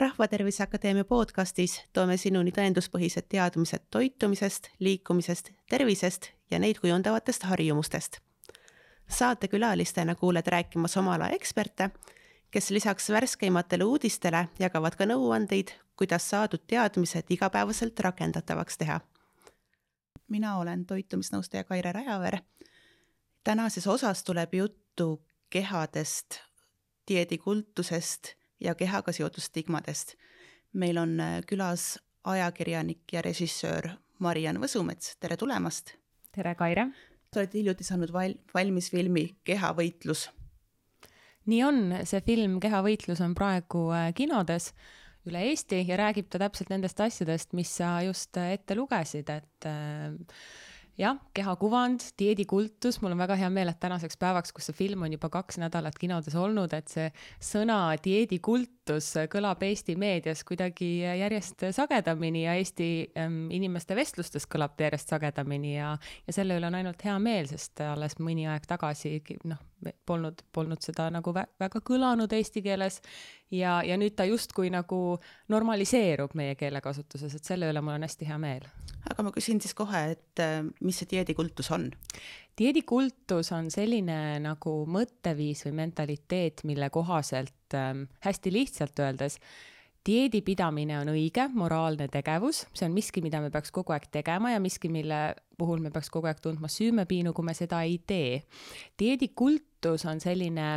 Rahvatervise Akadeemia podcastis toome sinuni tõenduspõhised teadmised toitumisest, liikumisest, tervisest ja neid kujundavatest harjumustest. Saatekülalistena kuuled rääkimas oma ala eksperte, kes lisaks värskeimatele uudistele jagavad ka nõuandeid, kuidas saadud teadmised igapäevaselt rakendatavaks teha. Mina olen toitumisnõustaja Kaire Rajaver. Tänases osas tuleb juttu kehadest, dieedikultusest ja kehaga seotud stigmadest. Meil on külas ajakirjanik ja režissöör Mariann Võsumets. Tere tulemast! Tere, Kaire! Te olete hiljuti saanud valmis filmi Kehavõitlus. Nii on, see film Kehavõitlus on praegu kinodes üle Eesti ja räägib ta täpselt nendest asjadest, mis sa just ette lugesid, et jah, kehakuvand, dieedikultus, mul on väga hea meel, et tänaseks päevaks, kus see film on juba 2 nädalat kinodes olnud, et see sõna dieedikultus kõlab Eesti meedias kuidagi järjest sagedamini ja Eesti inimeste vestlustes kõlab ta järjest sagedamini ja selle üle on ainult hea meel, sest alles mõni aeg tagasi polnud seda nagu väga kõlanud eesti keeles ja nüüd ta justkui nagu normaliseerub meie keelekasutuses, et selle üle mul on hästi hea meel. Aga ma küsin siis kohe, et mis see dieedikultus on? Dieedikultus on selline nagu mõtteviis või mentaliteet, mille kohaselt hästi lihtsalt öeldes dieedipidamine on õige, moraalne tegevus, see on miski, mida me peaks kogu aeg tegema ja miski, mille puhul me peaks kogu aeg tundma süümepiinu, kui me seda ei tee. Dieedikultus on selline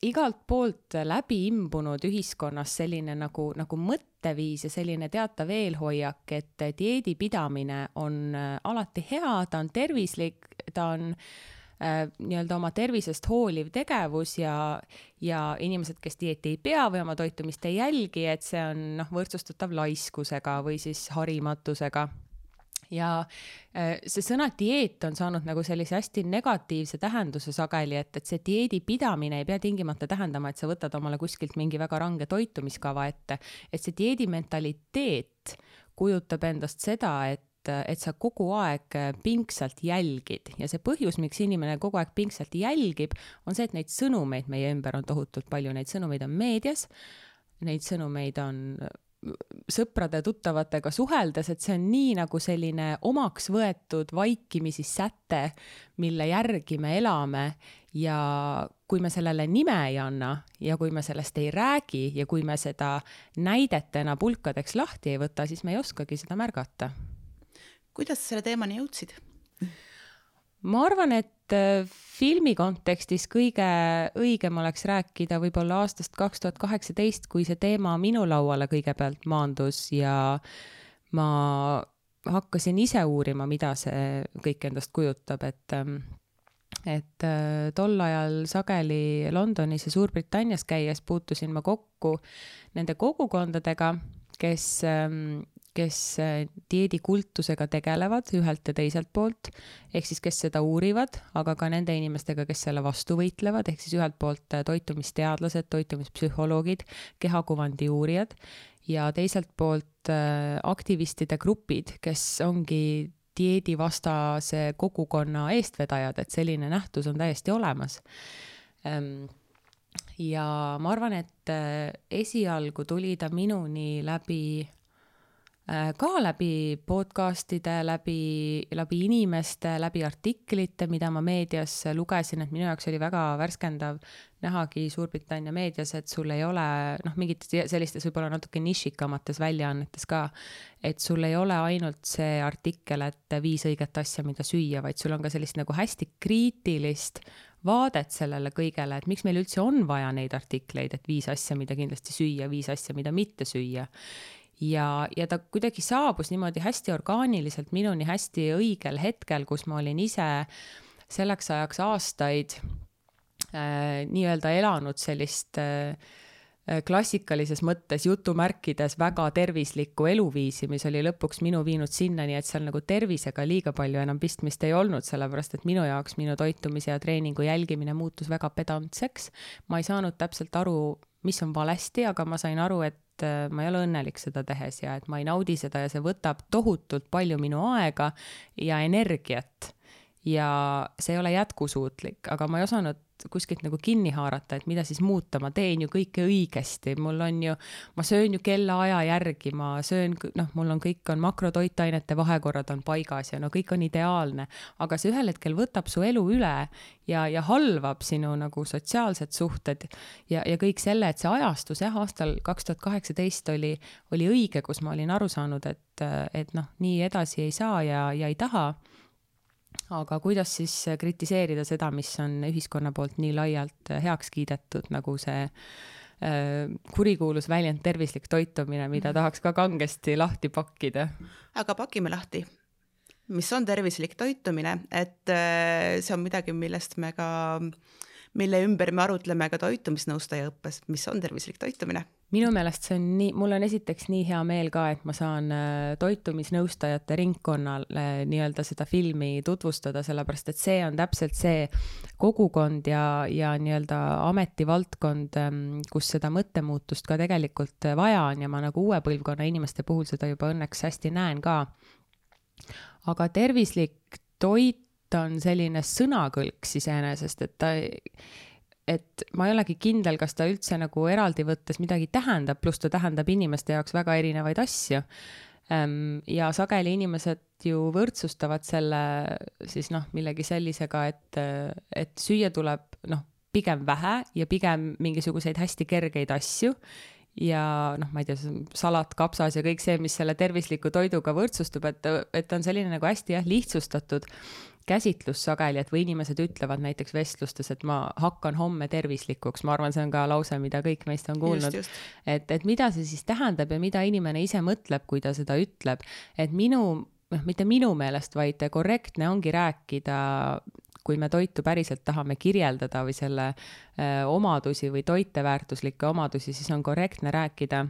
igalt poolt läbi imbunud ühiskonnas selline nagu mõtteviis ja selline teatav eelhoiak, et dieedipidamine on alati hea, ta on tervislik, ta on nii-öelda oma tervisest hooliv tegevus ja inimesed, kes dieeti ei pea või oma toitumist ei jälgi, et see on võrdsustatav laiskusega või siis harimatusega. Ja see sõna dieet on saanud nagu sellise hästi negatiivse tähenduse sageli, et see dieedipidamine ei pea tingimata tähendama, et sa võtad omale kuskilt mingi väga range toitumiskava ette, et see dieedimentaliteet kujutab endast seda, et sa kogu aeg pingsalt jälgid ja see põhjus, miks inimene kogu aeg pingsalt jälgib, on see, et neid sõnumeid meie ümber on tohutult palju, neid sõnumeid on meedias, neid sõnumeid on sõprade tuttavatega suheldes, et see on nii nagu selline omaks võetud vaikimisi säte, mille järgi me elame ja kui me sellele nime ei anna ja kui me sellest ei räägi ja kui me seda näidetena pulkadeks lahti ei võta, siis me ei oskagi seda märgata. Kuidas selle teemani jõudsid? Ma arvan, et filmi kontekstis kõige õigem oleks rääkida võib-olla aastast 2018, kui see teema minu lauale kõigepealt maandus ja ma hakkasin ise uurima, mida see kõik endast kujutab, et tol ajal sageli Londonis ja Suurbritannias käies puutusin ma kokku nende kogukondadega, kes dieedikultusega tegelevad ühelt ja teiselt poolt, ehk siis kes seda uurivad, aga ka nende inimestega, kes selle vastu võitlevad, ehk siis ühelt poolt toitumisteadlased, toitumispsühholoogid, kehakuvandi uurijad ja teiselt poolt aktivistide grupid, kes ongi dieedivastase kogukonna eestvedajad, et selline nähtus on täiesti olemas. Ja ma arvan, et esialgu tuli ta minuni läbi podcastide, läbi inimeste, läbi artiklite, mida ma meedias lugesin, et minu jaoks oli väga värskendav nähagi Suurbritannia meedias, et sul ei ole mingit sellistes võib-olla natuke nišikamates väljaannetes ka, et sul ei ole ainult see artikkel, et 5 õiget asja, mida süüa, vaid sul on ka sellist nagu hästi kriitilist vaadet sellele kõigele, et miks meil üldse on vaja neid artikleid, et 5 asja, mida kindlasti süüa, 5 asja, mida mitte süüa. Ja ta kuidagi saabus niimoodi hästi orgaaniliselt minuni hästi õigel hetkel, kus ma olin ise selleks ajaks aastaid nii-öelda elanud sellist klassikalises mõttes jutumärkides väga tervislikku eluviisi, mis oli lõpuks minu viinud sinnani, et seal nagu tervisega liiga palju enam pistmist ei olnud, sellepärast et minu jaoks minu toitumise ja treeningu jälgimine muutus väga pedantseks. Ma ei saanud täpselt aru, mis on valesti, aga ma sain aru, et ma ei ole õnnelik seda tehes ja et ma ei naudi seda ja see võtab tohutult palju minu aega ja energiat. ja see ei ole jätkusuutlik, aga ma ei osanud kuskilt nagu kinni haarata, et mida siis muuta, ma teen ju kõike õigesti, ma söön ju kellaaja järgi, ma söön, mul on kõik on makrotoitainete vahekorrad on paigas ja no kõik on ideaalne, aga see ühel hetkel võtab su elu üle ja halvab sinu nagu sotsiaalsed suhted ja kõik selle, et see ajastus aastal 2018 oli õige, kus ma olin aru saanud, et nii edasi ei saa ja ei taha. Aga kuidas siis kritiseerida seda, mis on ühiskonna poolt nii laialt heaks kiidetud, nagu see kurikuulus väljend tervislik toitumine, mida tahaks ka kangesti lahti pakkida? Aga pakime lahti. Mis on tervislik toitumine? Et see on midagi, mille ümber me arutleme ka toitumisnõustaja õppes. Mis on tervislik toitumine? Minu meelest see on mul on esiteks nii hea meel ka, et ma saan toitumisnõustajate ringkonnale nii-öelda seda filmi tutvustada, sellepärast et see on täpselt see kogukond ja nii-öelda ametivaldkond, kus seda mõttemuutust ka tegelikult vaja on ja ma nagu uue põlvkonna inimeste puhul seda juba õnneks hästi näen ka. Aga tervislik toit on selline sõnakõlks iseenesest, et ma ei olegi kindel, kas ta üldse nagu eraldi võttes midagi tähendab, pluss ta tähendab inimeste jaoks väga erinevaid asju. Ja sageli inimesed ju võrdsustavad selle siis millegi sellisega, et süüa tuleb pigem vähe ja pigem mingisuguseid hästi kergeid asju ja ma ei tea, salat, kapsas ja kõik see, mis selle tervisliku toiduga võrdsustub, et on selline nagu hästi lihtsustatud käsitlus sageli, et või inimesed ütlevad näiteks vestlustes, et ma hakkan homme tervislikuks, ma arvan, see on ka lause, mida kõik meist on kuulnud, et mida see siis tähendab ja mida inimene ise mõtleb, kui ta seda ütleb, et mitte minu meelest, vaid korrektne ongi rääkida, kui me toitu päriselt tahame kirjeldada või selle omadusi või toiteväärtuslikke omadusi, siis on korrektne rääkida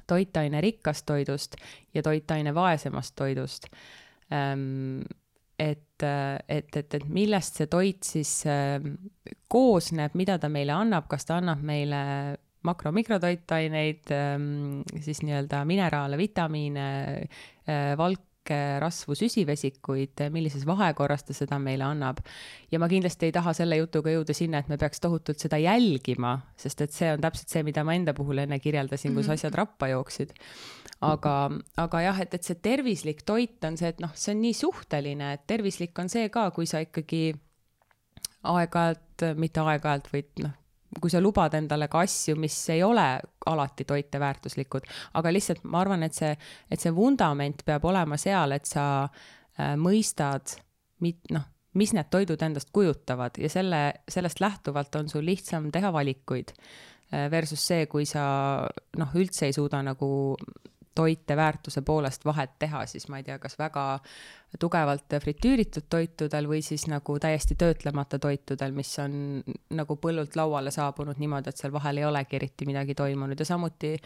toitaine rikkast toidust ja toitaine vaesemast toidust. Et millest see toit siis koosneb, mida ta meile annab, kas ta annab meile mikrotoitaineid, siis nii-öelda mineraale, vitamiine, valke, rasvu, süsivesikuid, millises vahekorras ta seda meile annab. Ja ma kindlasti ei taha selle jutuga jõuda sinna, et me peaks tohutult seda jälgima, sest et see on täpselt see, mida ma enda puhul enne kirjeldasin, kus asjad rappa jooksid. Aga jah, et see tervislik toit on see, et see on nii suhteline, et tervislik on see ka, kui sa ikkagi mitte aeg-ajalt, või kui sa lubad endale ka asju, mis ei ole alati toiteväärtuslikud, aga lihtsalt ma arvan, et see vundament peab olema seal, et sa mõistad, mis need toidud endast kujutavad ja sellest lähtuvalt on sul lihtsam teha valikuid versus see, kui sa üldse ei suuda nagu toite väärtuse poolest vahet teha, siis ma ei tea, kas väga tugevalt fritüüritud toitudel või siis nagu täiesti töötlemata toitudel, mis on nagu põllult lauale saabunud niimoodi, et seal vahel ei olegi eriti midagi toimunud ja samuti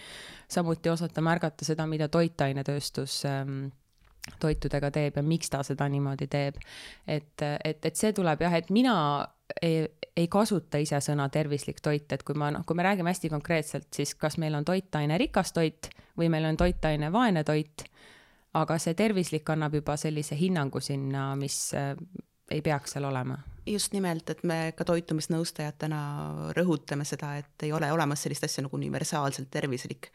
osata märgata seda, mida toitainetööstus toitudega teeb ja miks ta seda niimoodi teeb. Et see tuleb jah, et mina ei kasuta ise sõna tervislik toit, et kui me räägime hästi konkreetselt, siis kas meil on toitaine rikas toit või meil on toitaine vaene toit, aga see tervislik annab juba sellise hinnangu sinna, mis ei peaks seal olema. Just nimelt, et me ka toitumisnõustajatena rõhutame seda, et ei ole olemas sellist asja nagu universaalselt tervislik,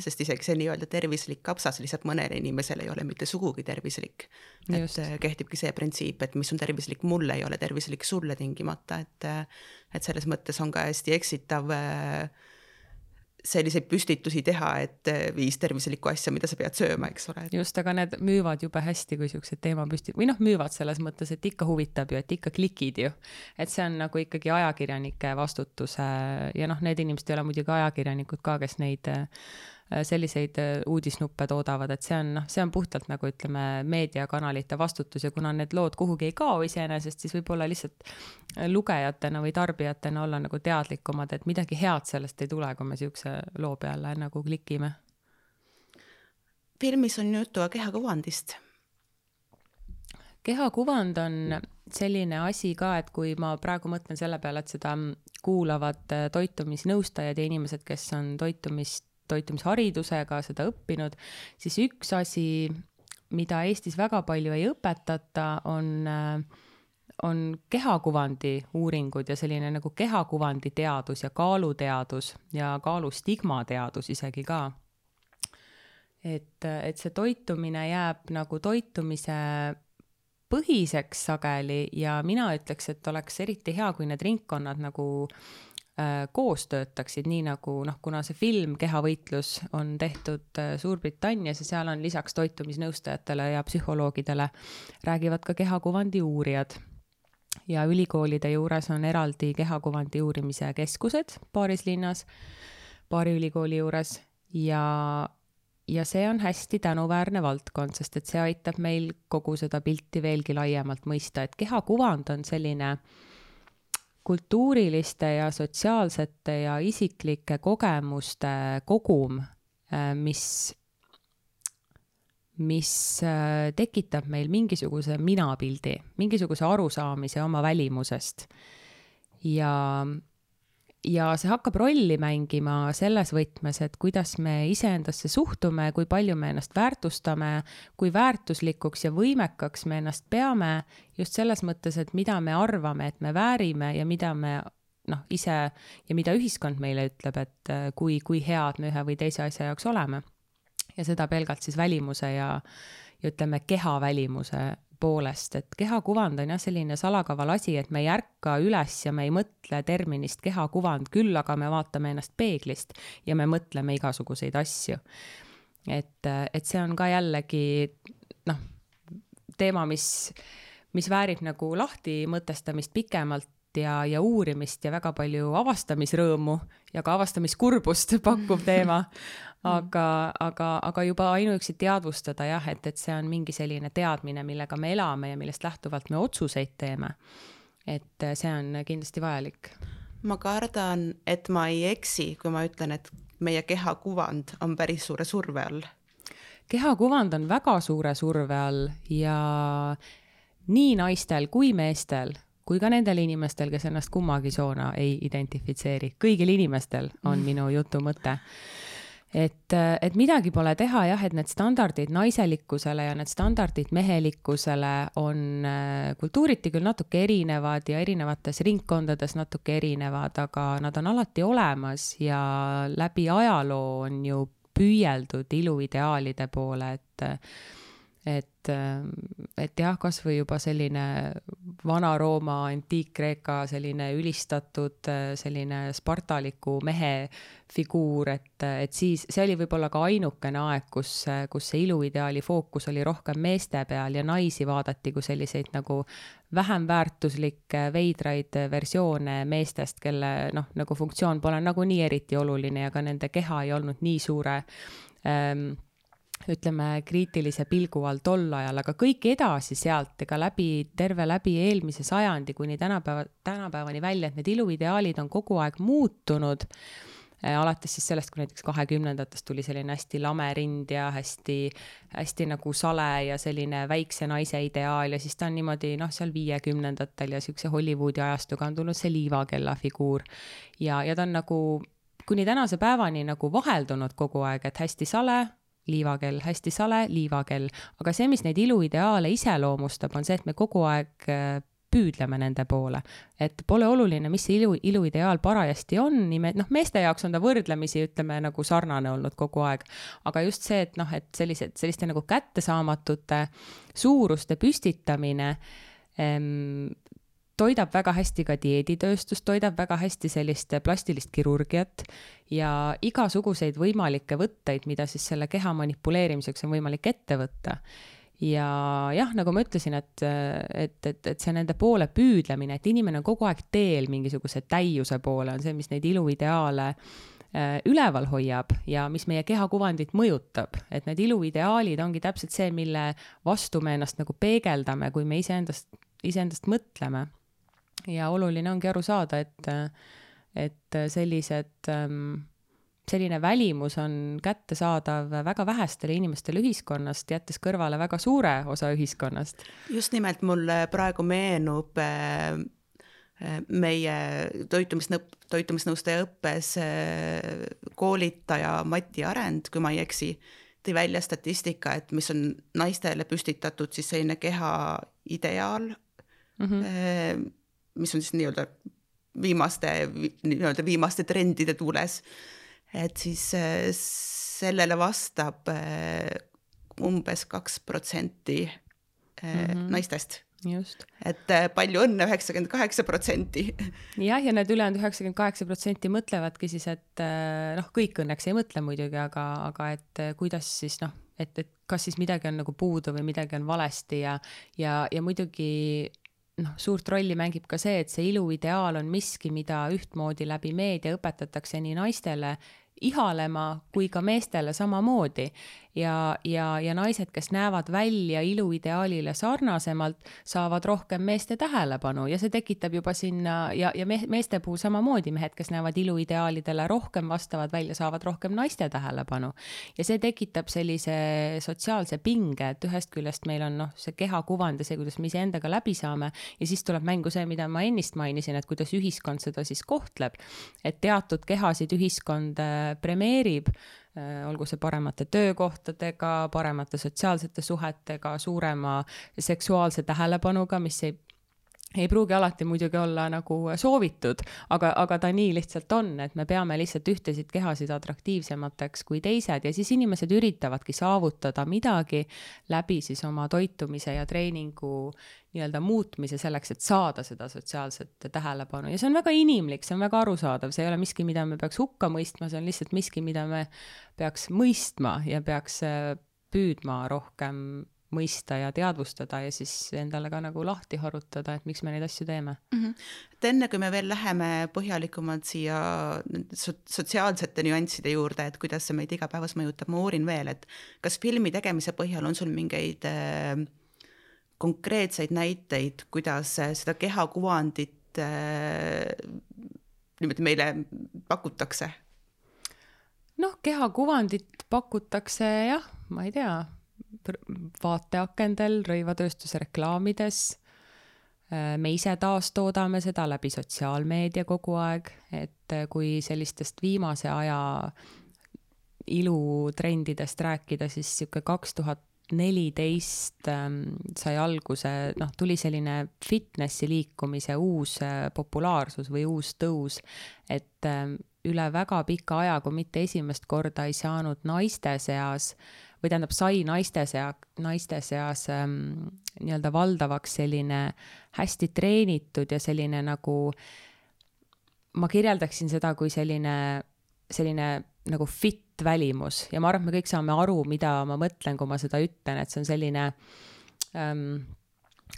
sest isegi see nii-öelda tervislik kapsas lihtsalt mõnele inimesele ei ole mitte sugugi tervislik. Just. Et kehtibki see printsiip, et mis on tervislik mulle, ei ole tervislik sulle tingimata, et selles mõttes on ka hästi eksitav selliseid püstitusi teha, et 5 tervislikku asja, mida sa pead sööma, eks ole. Just, aga need müüvad jube hästi, kui siuksed teemapüstit, või müüvad selles mõttes, et ikka huvitab ju, et ikka klikid ju. Et see on nagu ikkagi ajakirjanike vastutuse ja need inimesed ei ole muidugi ajakirjanikud ka, kes neid selliseid uudisnuppe toodavad, et see on puhtalt nagu ütleme meediakanalite vastutus ja kuna need lood kuhugi ei kao iseenesest, siis võib-olla lihtsalt lugejatena või tarbijatena olla nagu teadlikumad, et midagi head sellest ei tule, kui me siukse loo peale nagu klikime. Filmis on juttu kehakuvandist. Kehakuvand on selline asi ka, et kui ma praegu mõtlen selle peale, et seda kuulavad toitumisnõustajad ja inimesed, kes on toitumisharidusega seda õppinud, siis üks asi, mida Eestis väga palju ei õpetata, on on kehakuvandi uuringud ja selline nagu kehakuvandi teadus ja kaaluteadus ja kaalustigma teadus isegi ka. Et see toitumine jääb nagu toitumise põhiseks sageli ja mina ütleks, et oleks eriti hea, kui need ringkonnad nagu koos töötaksid, nii nagu, kuna see film Kehavõitlus on tehtud Suurbritannias ja seal on lisaks toitumisnõustajatele ja psühholoogidele räägivad ka kehakuvandi uurijad. Ja ülikoolide juures on eraldi kehakuvandi uurimise keskused paaris linnas, paari ülikooli juures ja see on hästi tänuväärne valdkond, sest et see aitab meil kogu seda pilti veelgi laiemalt mõista, et kehakuvand on selline kultuuriliste ja sotsiaalsete ja isiklike kogemuste kogum, mis tekitab meil mingisuguse minapildi, mingisuguse arusaamise oma välimusest. Ja see hakkab rolli mängima selles võtmes, et kuidas me iseendasse suhtume, kui palju me ennast väärtustame, kui väärtuslikuks ja võimekaks me ennast peame, just selles mõttes, et mida me arvame, et me väärime ja mida me ise ja mida ühiskond meile ütleb, et kui head me ühe või teise asja jaoks oleme. Ja seda pelgalt siis välimuse ja ütleme keha välimuse poolest, et kehakuvand on selline salakaval asi, et me ei ärka üles ja me ei mõtle terminist kehakuvand, küll aga me vaatame ennast peeglist ja me mõtleme igasuguseid asju. Et see on ka jällegi teema, mis väärib nagu lahti mõtestamist pikemalt ja uurimist ja väga palju avastamisrõõmu ja ka avastamiskurbust pakkuv teema. Aga juba ainuüksi teadvustada et see on mingi selline teadmine, millega me elame ja millest lähtuvalt me otsuseid teeme. Et see on kindlasti vajalik. Ma kardan, et ma ei eksi, kui ma ütlen, et meie kehakuvand on päris suure surve all. Kehakuvand on väga suure surve all ja nii naistel kui meestel, kui ka nendel inimestel, kes ennast kummagi soona ei identifitseeri. Kõigil inimestel on minu jutu mõte. Et midagi pole teha et need standardid naiselikkusele ja need standardid mehelikkusele on kultuuriti küll natuke erinevad ja erinevates ringkondades natuke erinevad, aga nad on alati olemas ja läbi ajaloo on ju püüeldud iluideaalide poole, et kas või juba selline Vana-Rooma, Antiik-Kreeka selline ülistatud selline spartaliku mehe figuur, et siis see oli võib-olla ka ainukene aeg, kus see iluideaali fookus oli rohkem meeste peal ja naisi vaadati kui selliseid nagu vähem väärtuslikke veidraid versioone meestest, kelle nagu funktsioon pole nagu nii eriti oluline ja ka nende keha ei olnud nii suure ütleme kriitilise pilgu all tol ajal, aga kõik edasi sealt ega terve läbi eelmise sajandi kuni tänapäevani välja, et need iluideaalid on kogu aeg muutunud, alates siis sellest, kui näiteks 20-ndatest tuli selline hästi lame rind ja hästi nagu sale ja selline väikse naise ideaal ja siis ta on niimoodi seal 50-ndatel ja siukse Hollywoodi ajastuga on tulnud see liivakella figuur ja ta on nagu kuni tänase päevani nagu vaheldunud kogu aeg, et hästi sale, liivakell, hästi sale, liivakell. Aga see, mis neid iluideaale iseloomustab, on see, et me kogu aeg püüdleme nende poole. Et pole oluline, mis see iluideaal parajasti on. Meeste jaoks on ta võrdlemisi, ütleme, nagu sarnane olnud kogu aeg. Aga just see, et selliste nagu kättesaamatute suuruste püstitamine toidab väga hästi ka dieeditööstust, toidab väga hästi sellist plastilist kirurgiat ja igasuguseid võimalikke võtteid, mida siis selle keha manipuleerimiseks on võimalik ette võtta. Ja nagu ma ütlesin, et see nende poole püüdlemine, et inimene on kogu aeg teel mingisuguse täiuse poole, on see, mis neid iluideaale üleval hoiab ja mis meie kehakuvandit mõjutab. Et need iluideaalid ongi täpselt see, mille vastu me ennast nagu peegeldame, kui me iseendast mõtleme. Ja oluline ongi aru saada, et selline välimus on kättesaadav väga vähestele inimestele ühiskonnast, jättes kõrvale väga suure osa ühiskonnast. Just nimelt mulle praegu meenub meie toitumisnõustaja õppes koolitaja Mati Arend, kui ma ei eksi, tõi välja statistika, et mis on naistele püstitatud siis selline keha ideaal mis on siis viimaste trendide tuules. Et siis sellele vastab umbes 2% naistest. Just. Et palju õnne, 98%. Jah, ja need ülejäänud 98% mõtlevadki siis, et kõik õnneks ei mõtle muidugi, aga et kuidas siis et kas siis midagi on nagu puudu või midagi on valesti ja muidugi suurt rolli mängib ka see, et see iluideaal on miski, mida ühtmoodi läbi meedia õpetatakse nii naistele ihalema kui ka meestele samamoodi ja naised, kes näevad välja iluideaalile sarnasemalt, saavad rohkem meeste tähelepanu ja see tekitab juba sinna ja meeste puhul samamoodi mehed, kes näevad iluideaalidele rohkem vastavad välja, saavad rohkem naiste tähelepanu ja see tekitab sellise sotsiaalse pinge, et ühest küljest meil on see kehakuvand ja see, kuidas me iseendaga läbi saame ja siis tuleb mängu see, mida ma ennist mainisin, et kuidas ühiskond seda siis kohtleb, et teatud kehasid ühiskond premeerib, olgu see paremate töökohtadega, paremate sotsiaalsete suhetega, suurema seksuaalse tähelepanuga, mis ei pruugi alati muidugi olla nagu soovitud, aga ta nii lihtsalt on, et me peame lihtsalt ühtesid kehasid atraktiivsemateks kui teised ja siis inimesed üritavadki saavutada midagi läbi siis oma toitumise ja treeningu nii-öelda muutmise selleks, et saada seda sotsiaalset tähelepanu ja see on väga inimlik, see on väga arusaadav, see ei ole miski, mida me peaks hukka mõistma, see on lihtsalt miski, mida me peaks mõistma ja peaks püüdma rohkem mõista ja teadvustada ja siis endale ka nagu lahti harutada, et miks me neid asju teeme. Et enne kui me veel läheme põhjalikumalt siia sotsiaalsete nüansside juurde, et kuidas see meid igapäevas mõjutab, ma uurin veel, et kas filmi tegemise põhjal on sul mingeid konkreetseid näiteid, kuidas seda kehakuvandit niimoodi meile pakutakse? Kehakuvandit pakutakse jah, ma ei tea, vaateakendel, rõivatööstuse reklaamides. Me ise taastoodame seda läbi sotsiaalmeedia kogu aeg, et kui sellistest viimase aja ilutrendidest rääkida, siis siuke 2014 sai alguse, tuli selline fitnessi liikumise uus populaarsus või uus tõus, et üle väga pika aja, kui mitte esimest korda ei saanud naiste seas või tähendab, sai naiste seas nii-öelda valdavaks selline hästi treenitud ja selline nagu, ma kirjeldaksin seda kui selline nagu fit välimus ja ma arvan, et me kõik saame aru, mida ma mõtlen, kui ma seda ütlen, et see on selline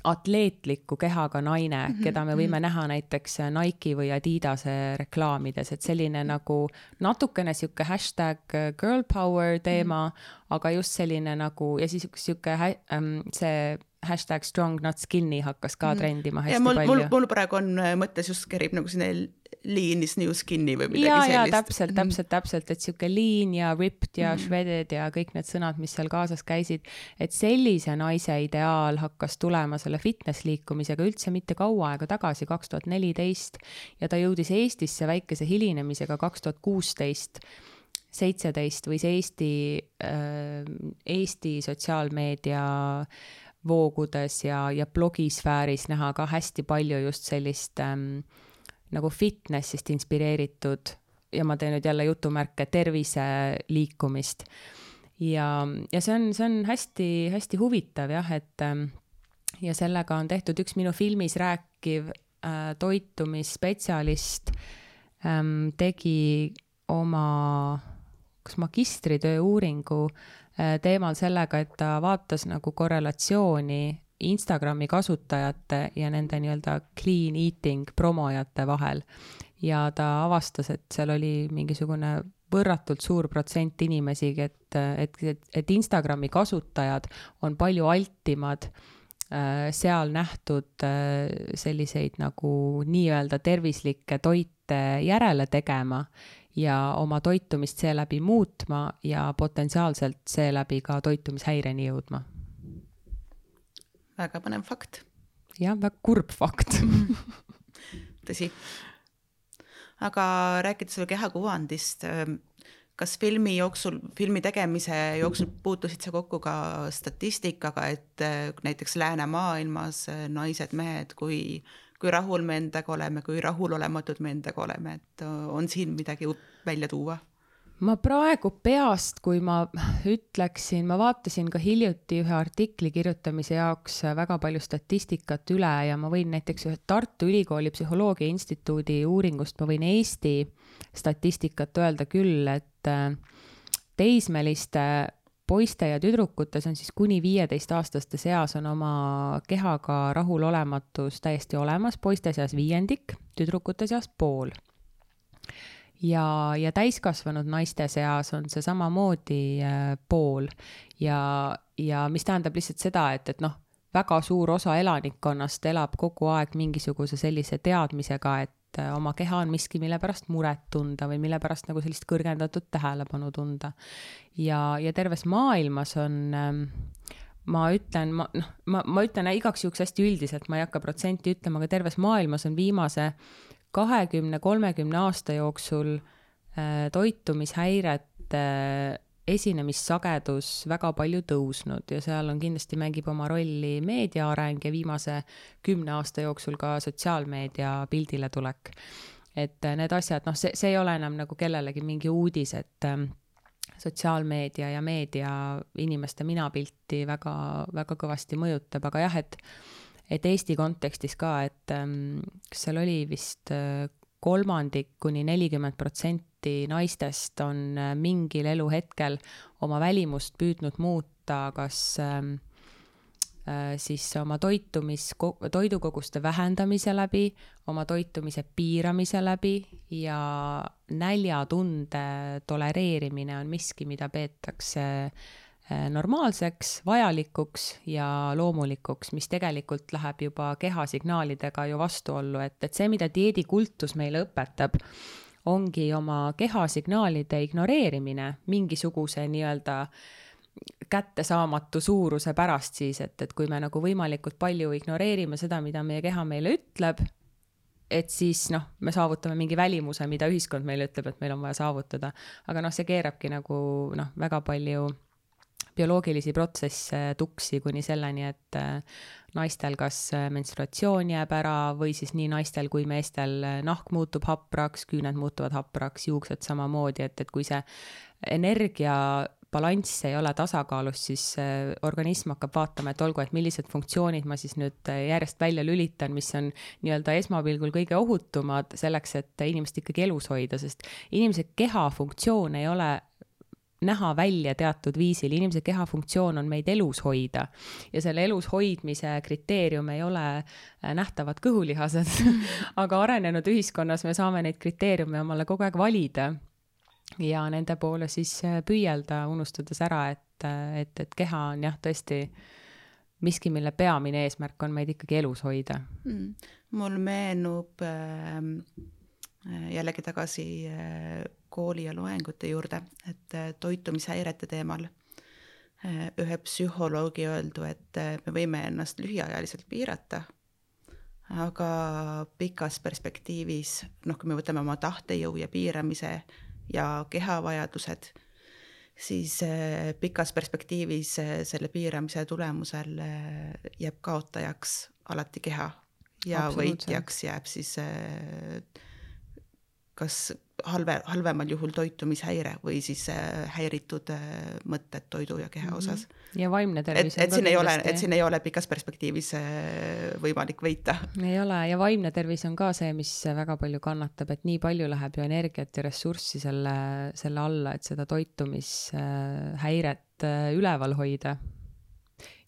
atleetliku kehaga naine, keda me võime näha näiteks Nike või Adidase reklaamides, et selline nagu natukene siuke hashtag girl power teema, aga just selline nagu ja siis siuke see hashtag strong not skinny hakkas ka trendima hästi palju. Mul praegu on mõttes just kerib nagu sinne lean is new skinny või midagi sellist. Ja täpselt, et siuke lean ja ripped ja shredded ja kõik need sõnad, mis seal kaasas käisid, et sellise naise ideaal hakkas tulema selle fitness liikumisega üldse mitte kaua aega tagasi, 2014 ja ta jõudis Eestisse väikese hilinemisega 2016 17 võis Eesti sotsiaalmeedia voogudes ja blogisfääris näha ka hästi palju just sellist nagu fitnessist inspireeritud ja ma teen nüüd jälle jutumärke tervise liikumist. Ja see on hästi huvitav jah, et ja sellega on tehtud üks minu filmis rääkiv toitumisspetsialist tegi oma kas magistritöö uuringu teemal sellega, et ta vaatas nagu korrelatsiooni Instagrami kasutajate ja nende nii-öelda clean eating promojate vahel ja ta avastas, et seal oli mingisugune võrratult suur protsent inimesi, et Instagrami kasutajad on palju altimad seal nähtud selliseid nagu nii-öelda tervislikke toite järele tegema ja oma toitumist seeläbi muutma ja potentsiaalselt seeläbi ka toitumishäireni jõudma. Väga põnev fakt. Jah, väga kurb fakt. Tõsi. Aga rääkides selle kehakuvandist, kas filmi tegemise jooksul puutusid sa kokku ka statistikaga, et näiteks läänemaailmas naised-mehed, kui rahul me endaga oleme, kui rahulolematud me endaga oleme, et on siin midagi välja tuua? Ma praegu peast, kui ma ütleksin, ma vaatasin ka hiljuti ühe artikli kirjutamise jaoks väga palju statistikat üle ja ma võin näiteks ühe Tartu Ülikooli Psühholoogia Instituudi uuringust, ma võin Eesti statistikat öelda küll, et teismeliste poiste ja tüdrukutes on siis kuni 15-aastaste seas on oma kehaga rahulolematus täiesti olemas, poiste seas 5%, tüdrukute seas 50%. Ja täiskasvanud naiste seas on see samamoodi 50% ja mis tähendab lihtsalt seda, et väga suur osa elanikkonnast elab kogu aeg mingisuguse sellise teadmisega, et oma keha on miski, mille pärast muret tunda või mille pärast nagu sellist kõrgendatud tähelepanu tunda. Ja terves maailmas on, ma ütlen igaks juhuks hästi üldiselt, ma ei hakka protsenti ütlema, aga terves maailmas on viimase 20-30 aasta jooksul toitumishäirete esinemissagedus väga palju tõusnud ja seal on kindlasti mängib oma rolli meedia areng ja viimase 10 aasta jooksul ka sotsiaalmeedia pildile tulek. Et need asjad, see ei ole enam nagu kellelegi mingi uudis, et sotsiaalmeedia ja meedia inimeste minapilti väga, väga kõvasti mõjutab, aga jah, et Eesti kontekstis ka, et kas seal oli vist 30–40% naistest on mingil eluhetkel oma välimust püüdnud muuta, kas siis oma toidukoguste vähendamise läbi, oma toitumise piiramise läbi ja näljatunde tolereerimine on miski, mida peetakse normaalseks, vajalikuks ja loomulikuks, mis tegelikult läheb juba kehasignaalidega ju vastuollu, et see, mida dieedikultus meile õpetab, ongi oma kehasignaalide ignoreerimine mingisuguse nii-öelda kättesaamatu suuruse pärast siis, et kui me nagu võimalikult palju ignoreerime seda, mida meie keha meile ütleb, et siis me saavutame mingi välimuse, mida ühiskond meile ütleb, et meil on vaja saavutada. Aga see keerabki nagu väga palju bioloogilisi protsesse tuksi kuni selleni, et naistel kas menstruatsioon jääb ära või siis nii naistel kui meestel nahk muutub hapraks, küüned muutuvad hapraks, juuksed samamoodi, et kui see energia balanss ei ole tasakaalus, siis organism hakkab vaatama, et olgu, et millised funktsioonid ma siis nüüd järjest välja lülitan, mis on nii-öelda esmapilgul kõige ohutumad selleks, et inimest ikkagi elus hoida, sest inimese keha funktsioon ei ole näha välja teatud viisil. Inimese keha funktsioon on meid elus hoida ja selle elus hoidmise kriteerium ei ole nähtavad kõhulihased, aga arenenud ühiskonnas me saame neid kriteeriume omale kogu aeg valida ja nende poole siis püüelda, unustades ära, et keha on jah tõesti miski, mille peamine eesmärk on meid ikkagi elus hoida. Mul meenub jällegi tagasi kooli ja loengute juurde, et toitumishäirete teemal ühe psühholoogi öeldu, et me võime ennast lühiajaliselt piirata, aga pikas perspektiivis, kui me võtame oma tahtejõu ja piiramise ja kehavajadused, siis pikas perspektiivis selle piiramise tulemusel jääb kaotajaks alati keha ja võitjaks jääb siis kas halvemal juhul toitumishäire või siis häiritud mõtted toidu ja keha osas. Ja vaimne tervis et siin ei ole pikas perspektiivis võimalik võita. Ei ole ja vaimne tervis on ka see, mis väga palju kannatab, et nii palju läheb ju energiat ja ressurssi selle alla, et seda toitumishäiret üleval hoida.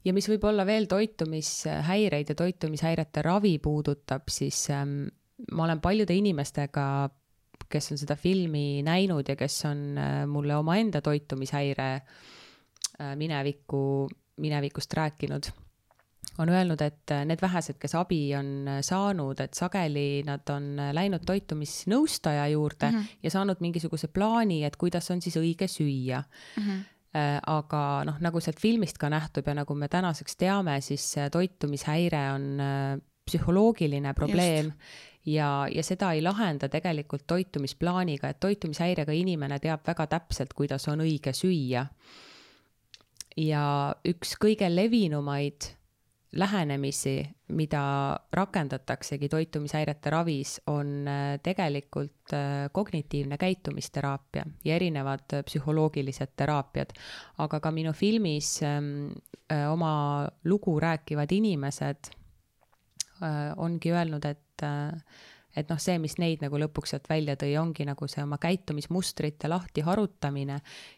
Ja mis võib olla veel toitumishäireid ja toitumishäirete ravi puudutab, siis ma olen paljude inimestega, kes on seda filmi näinud ja kes on mulle omaenda toitumishäire minevikust rääkinud, on öelnud, et need vähesed, kes abi on saanud, et sageli nad on läinud toitumisnõustaja juurde ja saanud mingisuguse plaani, et kuidas on siis õige süüa. Aga nagu sealt filmist ka nähtub ja nagu me tänaseks teame, siis toitumishäire on psühholoogiline probleem. ja seda ei lahenda tegelikult toitumisplaaniga, et toitumishäirega inimene teab väga täpselt, kuidas on õige süüa. Ja üks kõige levinumaid lähenemisi, mida rakendataksegi toitumishäirete ravis, on tegelikult kognitiivne käitumisteraapia ja erinevad psühholoogilised teraapiad. Aga ka minu filmis oma lugu rääkivad inimesed ongi öelnud, et see, mis neid nagu lõpuks sealt välja tõi, ongi nagu see oma käitumismustrite lahti harutamine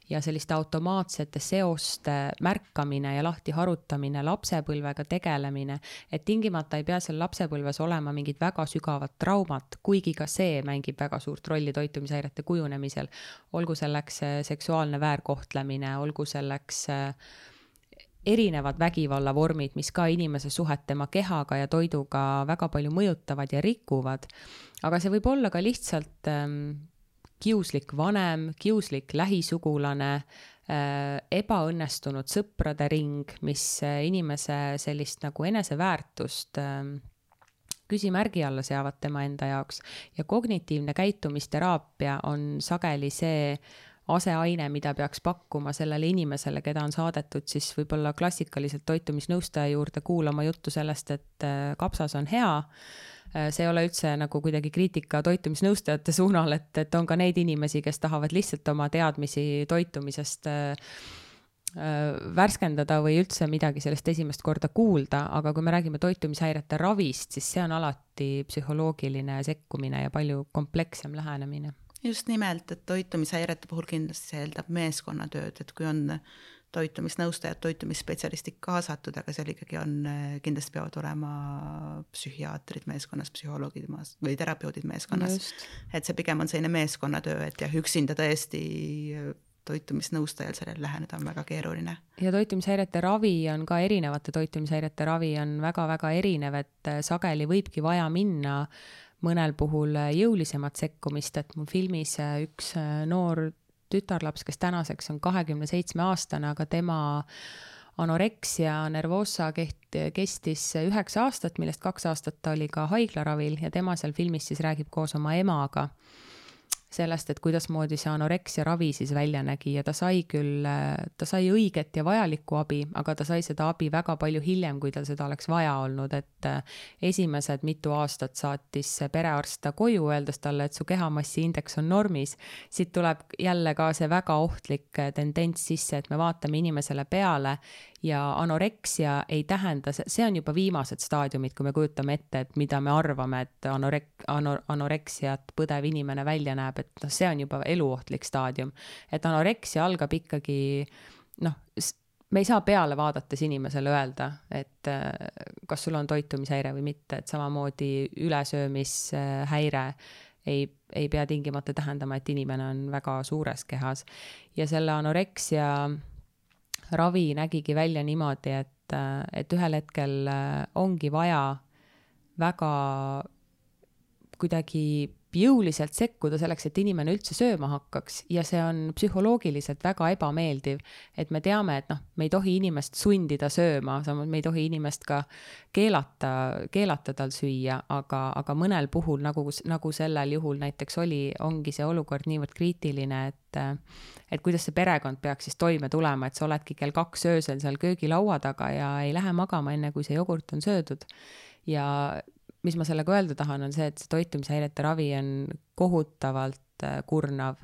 ja selliste automaatsete seoste märkamine ja lahti harutamine, lapsepõlvega tegelemine, et tingimata ei pea seal lapsepõlves olema mingid väga sügavad traumat, kuigi ka see mängib väga suurt rolli toitumishäirete kujunemisel. Olgu selleks seksuaalne väärkohtlemine, olgu selleks erinevad vägivallavormid, mis ka inimese suhet tema kehaga ja toiduga väga palju mõjutavad ja rikuvad. Aga see võib olla ka lihtsalt kiuslik vanem, kiuslik lähisugulane, ebaõnnestunud sõprade ring, mis inimese sellist nagu eneseväärtust küsimärgi alla seavad tema enda jaoks. Ja kognitiivne käitumisteraapia on sageli see aseaine, mida peaks pakkuma sellele inimesele, keda on saadetud siis võib-olla klassikaliselt toitumisnõustaja juurde kuulama juttu sellest, et kapsas on hea. See ei ole üldse nagu kuidagi kriitika toitumisnõustajate suunal, et on ka neid inimesi, kes tahavad lihtsalt oma teadmisi toitumisest värskendada või üldse midagi sellest esimest korda kuulda, aga kui me räägime toitumishäirete ravist, siis see on alati psühholoogiline sekkumine ja palju komplekssem lähenemine. Just nimelt, et toitumishäirete puhul kindlasti see eeldab meeskonnatööd, et kui on toitumisnõustajad, toitumisspetsialistid kaasatud, aga seal ikkagi on, kindlasti peavad olema psühhiaatrid meeskonnas, psühholoogid või terapeudid meeskonnas. Just. Et see pigem on selline meeskonnatöö, et üksinda tõesti toitumisnõustajal sellel läheneda on väga keeruline. Ja toitumishäirete ravi on ka erinevate toitumishäirete ravi on väga-väga erinev, et sageli võibki vaja minna mõnel puhul jõulisemat sekkumist, et mu filmis üks noor tütarlaps, kes tänaseks on 27-aastane, aga tema anoreksia nervosa kestis 9 aastat, millest 2 aastat ta oli ka haiglaravil ja tema seal filmis siis räägib koos oma emaga sellest, et kuidas moodi see anoreksia ravi siis välja nägi ja ta sai õiget ja vajalikku abi, aga ta sai seda abi väga palju hiljem, kui tal seda oleks vaja olnud, et esimesed mitu aastat saatis perearst ta koju, öeldes talle, et su kehamassiindeks on normis. Siit tuleb jälle ka see väga ohtlik tendents sisse, et me vaatame inimesele peale ja anoreksia ei tähenda, see on juba viimased staadiumid, kui me kujutame ette, et mida me arvame, et anoreksiat põdev inimene välja näeb, et see on juba eluohtlik staadium. Et anoreksia algab ikkagi, me ei saa peale vaadates inimesele öelda, et kas sul on toitumishäire või mitte, et samamoodi ülesöömishäire ei pea tingimata tähendama, et inimene on väga suures kehas. Ja selle anoreksia ravi nägigi välja niimoodi, et ühel hetkel ongi vaja väga kuidagi jõuliselt sekkuda selleks, et inimene üldse sööma hakkaks ja see on psühholoogiliselt väga ebameeldiv, et me teame, et me ei tohi inimest sundida sööma, samas me ei tohi inimest ka keelata tal süüa, aga mõnel puhul, nagu sellel juhul näiteks ongi see olukord niivõrd kriitiline, et kuidas see perekond peaks siis toime tulema, et sa oledki kell 2 öösel seal köögilaua taga ja ei lähe magama enne, kui see jogurt on söödud. Ja mis ma sellega öelda tahan, on see, et see toitumishäirete ravi on kohutavalt kurnav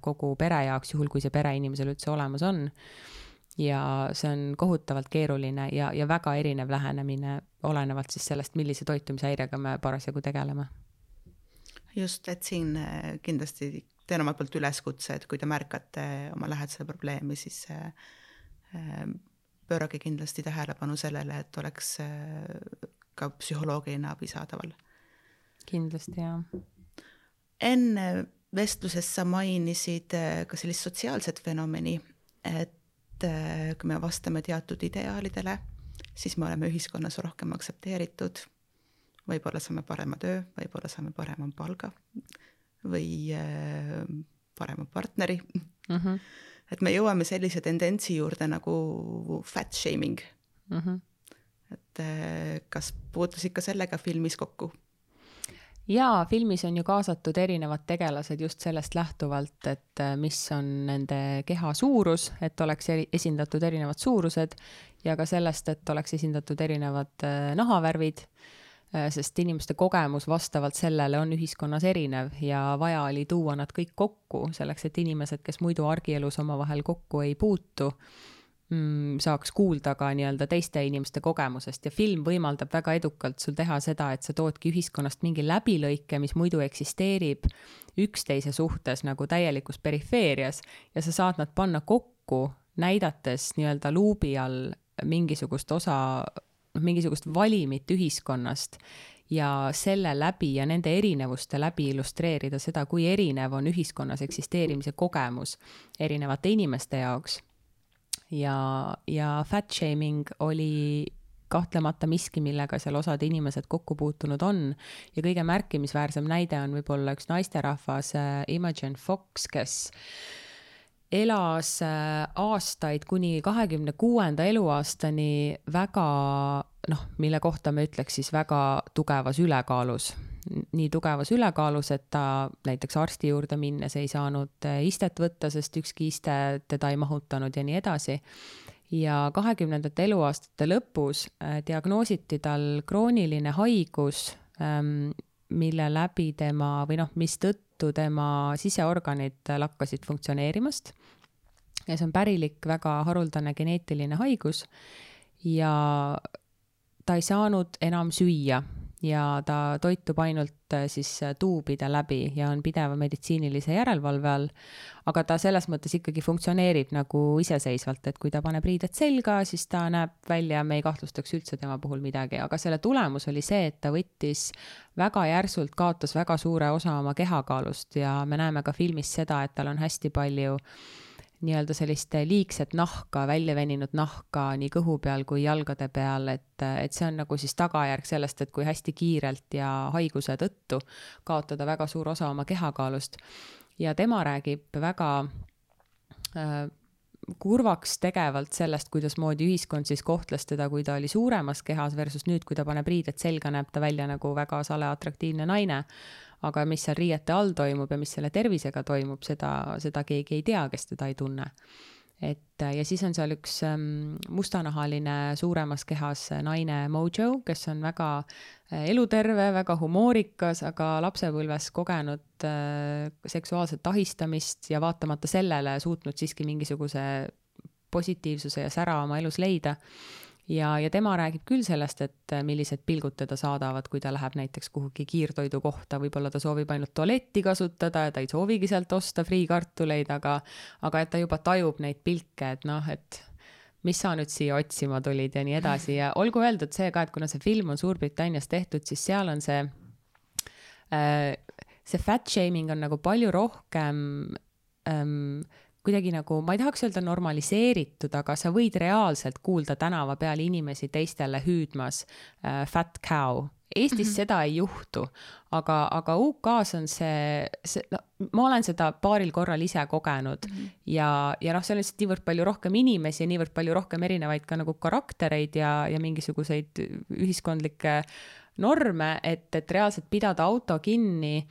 kogu pere jaoks, juhul kui see pere inimesel üldse olemas on. Ja see on kohutavalt keeruline ja väga erinev lähenemine, olenevalt siis sellest, millise toitumishäirega me parasjagu tegeleme. Just, et siin kindlasti teen omalt poolt üleskutse, et kui te märkate oma lähedasele probleemi, siis pöörage kindlasti tähelepanu sellele, et oleks ka psühholoogiline abi saadaval. Kindlasti, jah. Enne vestluses sa mainisid ka sellist sotsiaalset fenomeni, et kui me vastame teatud ideaalidele, siis me oleme ühiskonnas rohkem aktsepteeritud, võib-olla saame parema töö, võib-olla saame parema palga või parema partneri. Mm-hmm. Et me jõuame sellise tendentsi juurde nagu fat shaming. Mm-hmm. Et kas puutusid ka sellega filmis kokku? Jaa, filmis on ju kaasatud erinevad tegelased just sellest lähtuvalt, et mis on nende keha suurus, et oleks esindatud erinevad suurused ja ka sellest, et oleks esindatud erinevad nahavärvid, sest inimeste kogemus vastavalt sellele on ühiskonnas erinev ja vaja oli tuua nad kõik kokku selleks, et inimesed, kes muidu argielus omavahel kokku ei puutu, saaks kuulda ka nii-öelda teiste inimeste kogemusest ja film võimaldab väga edukalt sul teha seda, et sa toodki ühiskonnast mingi läbilõike, mis muidu eksisteerib üksteise suhtes nagu täielikus perifeerias ja sa saad nad panna kokku, näidates nii-öelda luubi all mingisugust valimit ühiskonnast ja selle läbi ja nende erinevuste läbi illustreerida seda, kui erinev on ühiskonnas eksisteerimise kogemus erinevate inimeste jaoks. Ja fat shaming oli kahtlemata miski, millega seal osad inimesed kokku puutunud on ja kõige märkimisväärsem näide on võib-olla üks naisterahvas Imogen Fox, kes elas aastaid kuni 26. eluaastani väga, mille kohta me ütleks siis väga tugevas ülekaalus. Nii tugevas ülekaalus, et ta näiteks arsti juurde minnes ei saanud istet võtta, sest ükski iste teda ei mahutanud ja nii edasi. Ja 20. eluaastate lõpus diagnoositi tal krooniline haigus, mille läbi mis tõttu tema siseorganid lakkasid funktsioneerimast. Ja see on pärilik, väga haruldane geneetiline haigus ja ta ei saanud enam süüa ja ta toitub ainult siis tuubide läbi ja on pideva meditsiinilise järelevalve all, aga ta selles mõttes ikkagi funktsioneerib nagu iseseisvalt, et kui ta paneb riided selga, siis ta näeb välja, me ei kahtlustaks üldse tema puhul midagi, aga selle tulemus oli see, et ta võttis väga järsult, kaotas väga suure osa oma kehakaalust ja me näeme ka filmis seda, et tal on hästi palju nii-öelda sellist liigset nahka, välja veninud nahka nii kõhu peal kui jalgade peal, et see on nagu siis tagajärg sellest, et kui hästi kiirelt ja haiguse tõttu kaotada väga suur osa oma kehakaalust. Ja tema räägib väga kurvaks tegevalt sellest, kuidas moodi ühiskond siis kohtles teda, kui ta oli suuremas kehas versus nüüd, kui ta paneb riided selga, näeb ta välja nagu väga sale atraktiivne naine. Aga mis seal riiete all toimub ja mis selle tervisega toimub, seda keegi ei tea, kes teda ei tunne. Ja siis on seal üks mustanahaline suuremas kehas naine Mojo, kes on väga eluterve, väga humoorikas, aga lapsepõlves kogenud seksuaalset ahistamist ja vaatamata sellele suutnud siiski mingisuguse positiivsuse ja sära oma elus leida. Ja tema räägib küll sellest, et millised pilgud teda saadavad, kui ta läheb näiteks kuhugi kiirtoidu kohta, võib-olla ta soovib ainult tualetti kasutada ja ta ei soovigi sealt osta friikartuleid, aga et ta juba tajub neid pilke, et mis sa nüüd siia otsima tulid ja nii edasi. Ja olgu öeldud see ka, et kuna see film on Suurbritannias tehtud, siis seal on see fat shaming on nagu palju rohkem kuidagi nagu, ma ei tahaks öelda normaliseeritud, aga sa võid reaalselt kuulda tänava peal inimesi teistele hüüdmas fat cow. Eestis seda ei juhtu, aga UK-s on ma olen seda paaril korral ise kogenud ja seal on lihtsalt niivõrd palju rohkem inimesi ja niivõrd palju rohkem erinevaid ka nagu karaktereid ja mingisuguseid ühiskondlikke norme, et reaalselt pidada auto kinni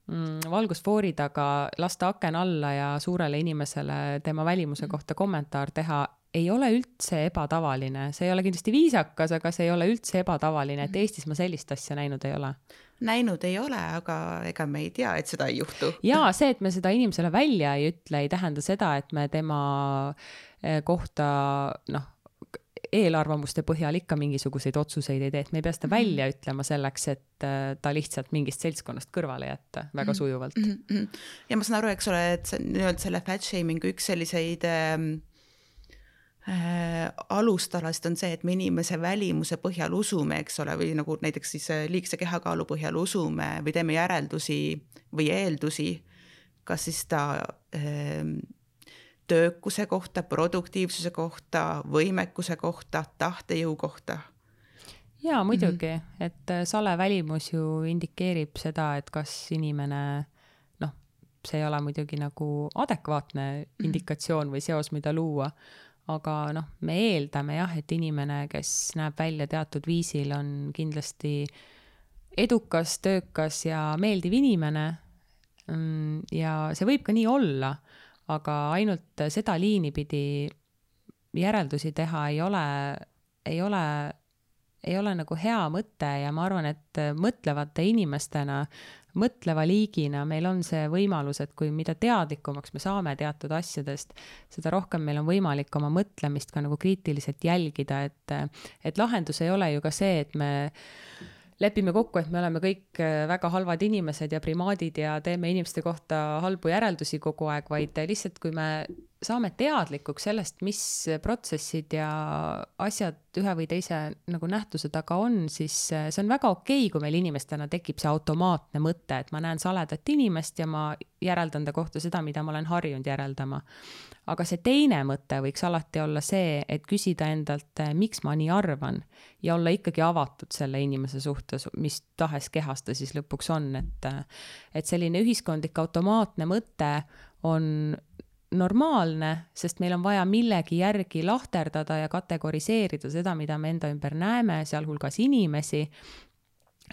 valgusfoori taga, lasta aken alla ja suurele inimesele tema välimuse kohta kommentaar teha ei ole üldse ebatavaline. See ei ole kindlasti viisakas, aga see ei ole üldse ebatavaline, et Eestis ma sellist asja näinud ei ole. Näinud ei ole, aga ega me ei tea, et seda ei juhtu. Jaa, see, et me seda inimesele välja ei ütle, ei tähenda seda, et me tema kohta eelarvamuste põhjal ikka mingisuguseid otsuseid ei tee, et me ei pea seda välja ütlema selleks, et ta lihtsalt mingist seltskonnast kõrvale jätta väga sujuvalt. Ja ma saan aru, eks ole, et selle fat shamingu üks selliseid alustalast on see, et me inimese välimuse põhjal usume, eks ole, või nagu näiteks siis liigse kehakaalu põhjal usume või teeme järeldusi või eeldusi, kas siis ta töökuse kohta, produktiivsuse kohta, võimekuse kohta, tahtejõu kohta. Jaa, muidugi, et sale välimus ju indikeerib seda, et kas inimene, see ei ole muidugi nagu adekvaatne indikatsioon või seos, mida luua, aga me eeldame jah, et inimene, kes näeb välja teatud viisil, on kindlasti edukas, töökas ja meeldiv inimene. Ja see võib ka nii olla, aga ainult seda liini pidi järeldusi teha ei ole nagu hea mõte ja ma arvan, et mõtlevate inimestena, mõtleva liigina meil on see võimalus, et kui mida teadlikumaks me saame teatud asjadest, seda rohkem meil on võimalik oma mõtlemist ka nagu kriitiliselt jälgida, et lahendus ei ole ju ka see, et me lepime kokku, et me oleme kõik väga halvad inimesed ja primaadid ja teeme inimeste kohta halbu järeldusi kogu aeg, vaid lihtsalt kui me saame teadlikuks sellest, mis protsessid ja asjad ühe või teise nagu nähtuse taga on, siis see on väga okei, kui meil inimestena tekib see automaatne mõte, et ma näen saledat inimest ja ma järeldan ta kohta seda, mida ma olen harjunud järeldama. Aga see teine mõte võiks alati olla see, et küsida endalt, miks ma nii arvan ja olla ikkagi avatud selle inimese suhtes, mis tahes kehas ta siis lõpuks on, et selline ühiskondlik automaatne mõte on normaalne, sest meil on vaja millegi järgi lahterdada ja kategoriseerida seda, mida me enda ümber näeme, sealhulgas inimesi,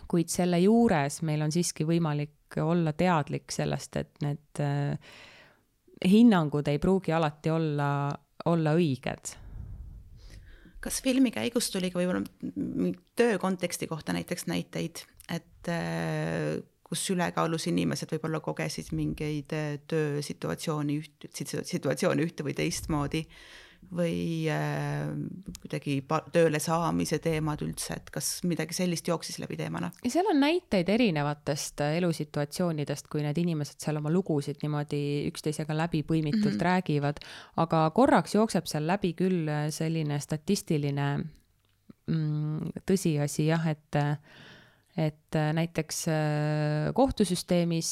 kuid selle juures meil on siiski võimalik olla teadlik sellest, et need hinnangud ei pruugi alati olla õiged. Kas filmi käigus tuli ka võib-olla töö konteksti kohta näiteks näiteid, et kus ülekaalus inimesed võib-olla kogesid mingeid töösituatsiooni ühte või teistmoodi või kuidagi tööle saamise teemad üldse, et kas midagi sellist jooksis läbi teemana? Ja seal on näiteid erinevatest elusituatsioonidest, kui need inimesed seal oma lugusid niimoodi üksteisega läbi põimitult räägivad, aga korraks jookseb seal läbi küll selline statistiline tõsiasi, jah, et näiteks kohtusüsteemis,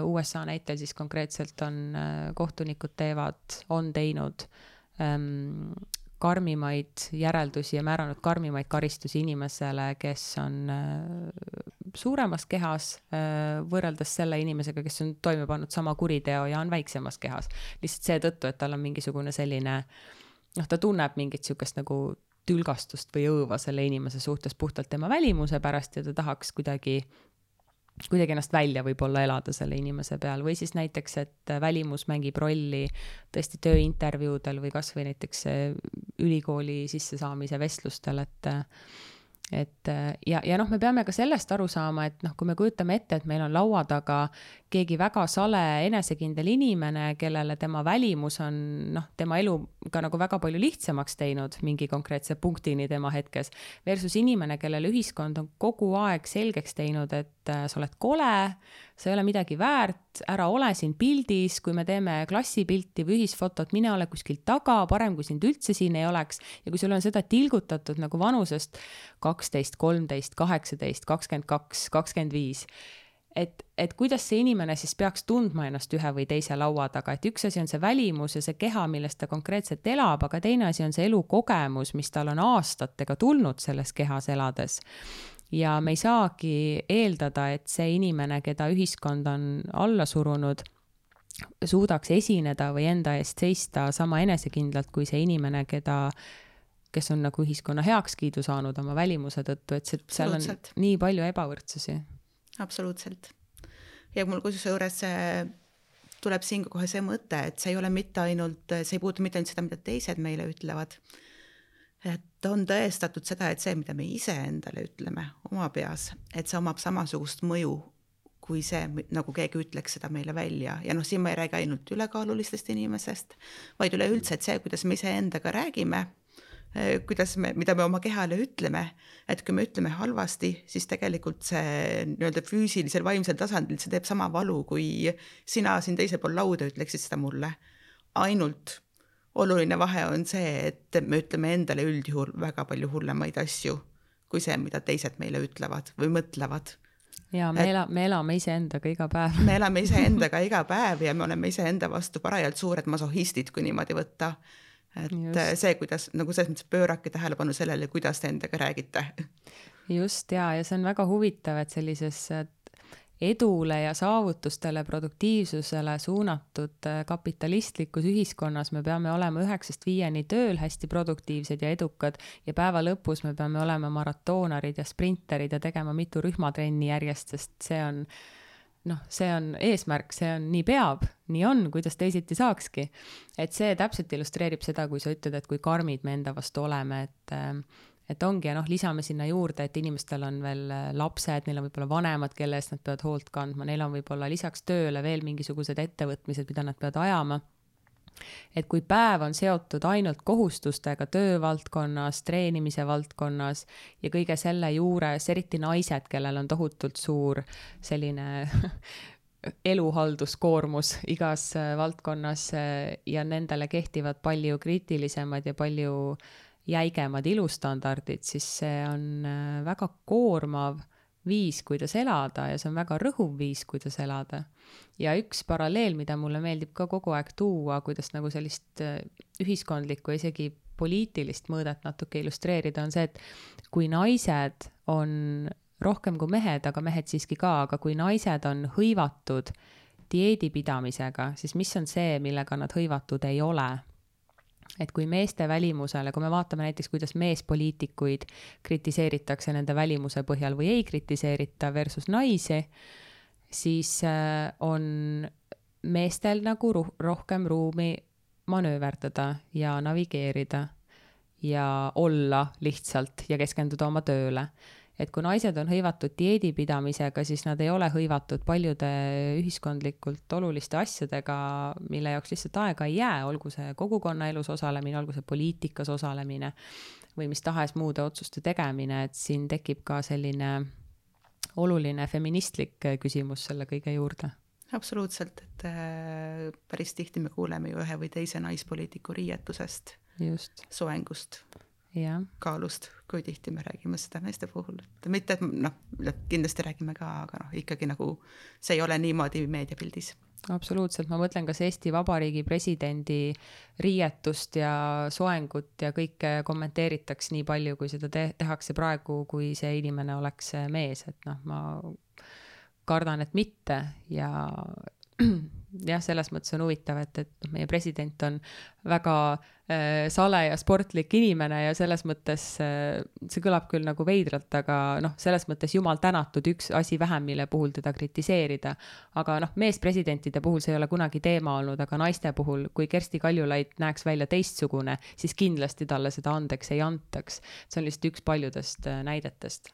USA näitel siis konkreetselt on kohtunikud on teinud karmimaid järeldusi ja määranud karmimaid karistusi inimesele, kes on suuremas kehas võrreldes selle inimesega, kes on toime pannud sama kuriteo ja on väiksemas kehas. Lihtsalt seetõttu, et tal on mingisugune selline, ta tunneb mingit sihukest nagu tülgastust või õõva selle inimese suhtes puhtalt tema välimuse pärast ja ta tahaks kuidagi ennast välja võib-olla elada selle inimese peal või siis näiteks, et välimus mängib rolli tõesti tööintervjuudel või kas või näiteks ülikooli sissesaamise vestlustel, ja me peame ka sellest aru saama, et kui me kujutame ette, et meil on laua taga keegi väga sale enesekindel inimene, kellele tema välimus on tema elu ka nagu väga palju lihtsamaks teinud mingi konkreetse punktini tema hetkes, versus inimene, kellele ühiskond on kogu aeg selgeks teinud, et sa oled kole, sa ei ole midagi väärt, ära ole siin pildis, kui me teeme klassipilti või ühisfotot, mine ole kuskil taga, parem kui sind üldse siin ei oleks ja kui sul on seda tilgutatud nagu vanusest 12, 13, 18, 22, 25, et kuidas see inimene siis peaks tundma ennast ühe või teise laua taga, et üks asi on see välimus ja see keha, millest ta konkreetselt elab, aga teine asi on see elukogemus, mis tal on aastatega tulnud selles kehas elades. Ja me ei saagi eeldada, et see inimene, keda ühiskond on alla surunud, suudaks esineda või enda eest seista sama enesekindlalt kui see inimene, kes on nagu ühiskonna heakskiidu saanud oma välimuse tõttu, et seal on nii palju ebavõrdsusi. Absoluutselt. Ja mul kusjuures tuleb siin kohe see mõte, et see ei ole mitte ainult, see ei puutu mitte ainult seda, mida teised meile ütlevad. Et on tõestatud seda, et see, mida me ise endale ütleme oma peas, et see omab samasugust mõju, kui see, nagu keegi ütleks seda meile välja. Ja siin ma ei räägi ainult ülekaalulistest inimesest, vaid üleüldse, et see, kuidas me ise endaga räägime, mida me oma kehale ütleme, et kui me ütleme halvasti, siis tegelikult see nii-öelda füüsilisel, vaimsel tasandil see teeb sama valu, kui sina siin teisel pool lauda ütleksid seda mulle. Ainult oluline vahe on see, et me ütleme endale üldjuhul väga palju hullemaid asju, kui see, mida teised meile ütlevad või mõtlevad. Ja me elame ise endaga iga päev. Me elame ise endaga iga päev ja me oleme ise enda vastu parajalt suured masohistid, kui niimoodi võtta. Et just. See, kuidas, nagu selles mõttes pöörake tähelepanu sellele, kuidas te endaga räägite. Just, ja see on väga huvitav, et sellises edule ja saavutustele, produktiivsusele suunatud kapitalistlikus ühiskonnas me peame olema 9–5 tööl hästi produktiivsed ja edukad ja päeva lõpus me peame olema maratoonarid ja sprinterid ja tegema mitu rühmatrenni järjest, sest see on eesmärk, see on nii peab, nii on, kuidas teisiti saakski. Et see täpselt illustreerib seda, kui sa ütled, et kui karmid me enda vastu oleme, et ongi ja lisame sinna juurde, et inimestel on veel lapsed, neil on võib-olla vanemad, kelle eest nad peavad hoolt kandma, neil on võib-olla lisaks tööle veel mingisugused ettevõtmised, mida nad peavad ajama. Et kui päev on seotud ainult kohustustega töövaldkonnas, treenimise valdkonnas ja kõige selle juures, eriti naised, kellel on tohutult suur selline eluhalduskoormus igas valdkonnas ja nendele kehtivad palju kriitilisemad ja palju jäigemad ilustandardid, siis see on väga koormav viis, kuidas elada ja see on väga rõhuv viis, kuidas elada. Ja üks paralleel, mida mulle meeldib ka kogu aeg tuua, kuidas nagu sellist ühiskondlikku, isegi poliitilist mõõdet natuke illustreerida, on see, et kui naised on rohkem kui mehed, aga mehed siiski ka, aga kui naised on hõivatud dieedipidamisega, siis mis on see, millega nad hõivatud ei ole? Et kui meeste välimusele, kui me vaatame näiteks, kuidas meespoliitikuid kritiseeritakse nende välimuse põhjal või ei kritiseerita versus naisi, siis on meestel nagu rohkem ruumi manööverdada ja navigeerida ja olla lihtsalt ja keskenduda oma tööle. Et kui naised on hõivatud dieedipidamisega, siis nad ei ole hõivatud paljude ühiskondlikult oluliste asjadega, mille jaoks lihtsalt aega ei jää, olgu see kogukonnaelus osalemine, olgu see poliitikas osalemine või mis tahes muude otsuste tegemine, et siin tekib ka selline oluline feministlik küsimus selle kõige juurde. Absoluutselt, et päris tihti me kuuleme ju ühe või teise naispoliitiku riietusest, soengust. Ja. Kaalust, kui tihti me räägime seda meeste puhul. Mitte, et kindlasti räägime ka, aga ikkagi nagu see ei ole niimoodi meediapildis. Absoluutselt, ma mõtlen, kas Eesti Vabariigi presidendi riietust ja soengut ja kõike kommenteeritaks nii palju, kui seda tehakse praegu, kui see inimene oleks mees. Et ma kardan, et mitte ja jah, selles mõttes on huvitav, et meie president on väga sale ja sportlik inimene ja selles mõttes see kõlab küll nagu veidralt, aga selles mõttes jumal tänatud üks asi vähem, mille puhul teda kritiseerida. Aga meespresidentide puhul see ei ole kunagi teema olnud, aga naiste puhul, kui Kersti Kaljulaid näeks välja teistsugune, siis kindlasti talle seda andeks ei antaks. See on lihtsalt üks paljudest näidetest.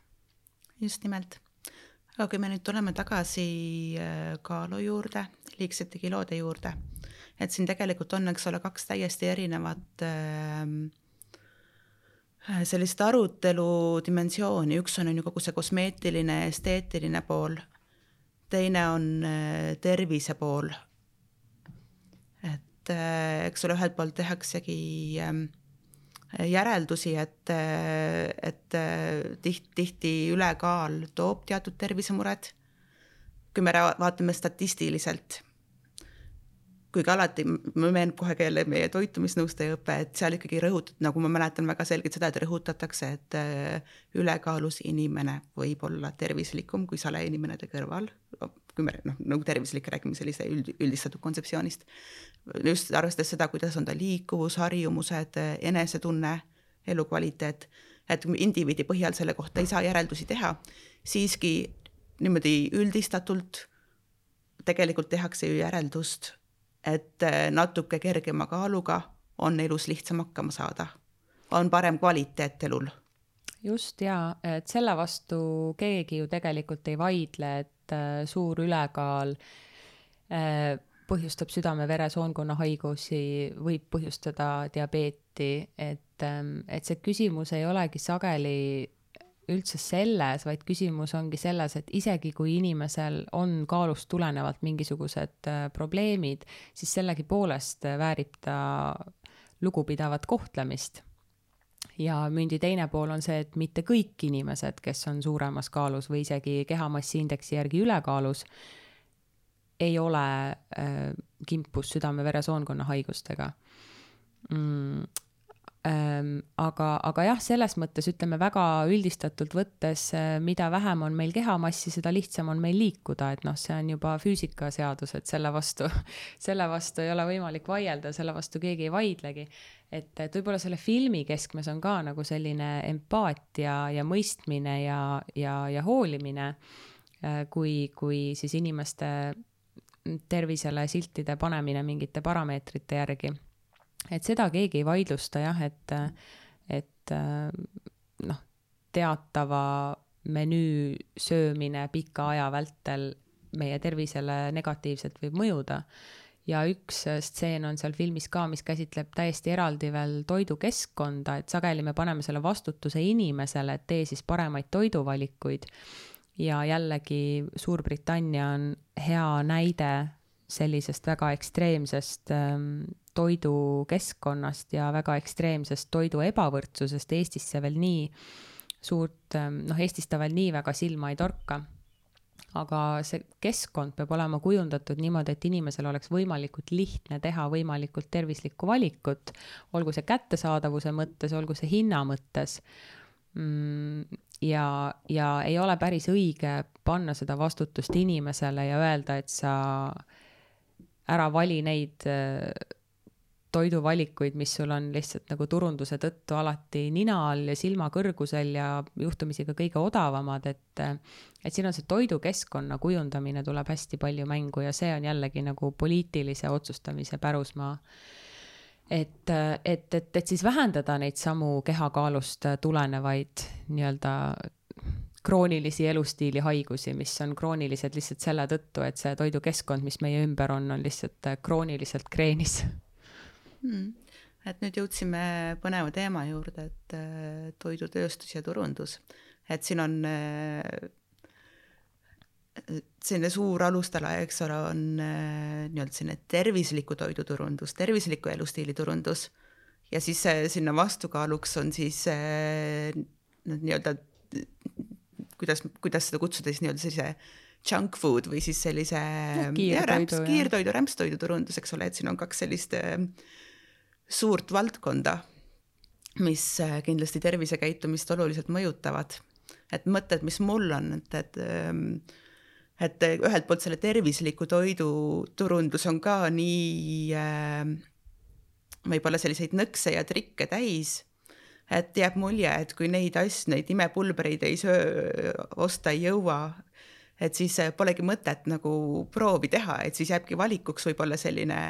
Just nimelt. Aga kui me nüüd tuleme tagasi kaalu juurde, liigsete kilode juurde, et siin tegelikult on, eks ole, 2 täiesti erinevat sellist arutelu dimensiooni. Üks on ju kogu see kosmeetiline, esteetiline pool, teine on tervise pool. Et eks ole, ühelt poolt tehaksegi järeldusi, et tihti ülekaal toob teatud tervisemured. Kui me vaatame statistiliselt, kuigi alati me meenub kohe keele meie toitumisnõustaja õpe, et seal ikkagi nagu ma mäletan väga selgelt seda, et rõhutatakse, et ülekaalus inimene võib olla tervislikum kui sale inimenede kõrval. Kui me nagu tervislik räägime sellise üldistatud kontseptsioonist. Just arvestades seda, kuidas on ta liikuvus, harjumused, enesetunne, elukvaliteet, et indiviidi põhjal selle kohta ei saa järeldusi teha, siiski niimoodi üldistatult tegelikult tehakse ju järeldust, et natuke kergema kaaluga on elus lihtsam hakkama saada. On parem kvaliteet elul. Just ja, et selle vastu keegi ju tegelikult ei vaidle, et suur ülekaal põhjustab südame-veresoonkonna haigusi, võib põhjustada diabeeti, et see küsimus ei olegi sageli üldse selles, vaid küsimus ongi selles, et isegi kui inimesel on kaalust tulenevalt mingisugused probleemid, siis sellegi poolest väärib ta lugupidavat kohtlemist. Ja mündi teine pool on see, et mitte kõik inimesed, kes on suuremas kaalus või isegi kehamassiindeksi järgi ülekaalus, ei ole kimpus südame-veresoonkonna haigustega. aga jah, selles mõttes ütleme väga üldistatult võttes, mida vähem on meil kehamassi, seda lihtsam on meil liikuda, et noh, see on juba füüsikaseadus, et selle vastu ei ole võimalik vaielda, selle vastu keegi ei vaidlegi. Et võib-olla selle filmi keskmes on ka nagu selline empaatia ja mõistmine ja hoolimine, kui siis inimeste tervisele siltide panemine mingite parameetrite järgi. Et seda keegi ei vaidlusta jah, et noh, teatava menüü söömine pika aja vältel meie tervisele negatiivselt võib mõjuda. Ja üks stseen on seal filmis ka, mis käsitleb täiesti eraldi veel toidukeskkonda, et sageli me paneme selle vastutuse inimesele, et tee siis paremaid toiduvalikuid. Ja jällegi Suurbritannia on hea näide sellisest väga ekstreemsest toidukeskkonnast ja väga ekstreemsest toidu ebavõrdsusest. Eestis see veel nii suurt, Eestis ta veel nii väga silma ei torka. Aga see keskkond peab olema kujundatud niimoodi, et inimesel oleks võimalikult lihtne teha võimalikult tervislikku valikut, olgu see kättesaadavuse mõttes, olgu see hinna mõttes. Ja ei ole päris õige panna seda vastutust inimesele ja öelda, et sa ära vali neid toiduvalikuid, mis sul on lihtsalt nagu turunduse tõttu alati nina all ja silma kõrgusel ja juhtumisi ka kõige odavamad, et siin on see toidukeskkonna kujundamine tuleb hästi palju mängu ja see on jällegi nagu poliitilise otsustamise pärusmaa. Et siis vähendada neid samu kehakaalust tulenevaid nii-öelda kroonilisi elustiili haigusi, mis on kroonilised lihtsalt selle tõttu, et see toidukeskkond, mis meie ümber on lihtsalt krooniliselt kreenis. Et nüüd jõudsime põneva teema juurde, et toidutööstus ja turundus. Et siin on selline suur alustala, eks ole, on nii-öelda selline tervisliku toiduturundus, tervisliku elustiili turundus ja siis sinna vastukaaluks on siis nii-öelda kuidas seda kutsuda siis nii-öelda sellise junk food või siis sellise kiirtoidu, rämpstoidu turundus, eks ole, et siin on kaks sellist suurt valdkonda, mis kindlasti tervisekäitumist oluliselt mõjutavad. Et mõtted, mis mul on, et ühelt poolt selle tervisliku toidu turundus on ka nii võib-olla selliseid nõkse ja trikke täis, et jääb mulje, et kui neid imepulbereid ei osta ei jõua, et siis polegi mõtet nagu proovi teha, et siis jääbki valikuks võib-olla selline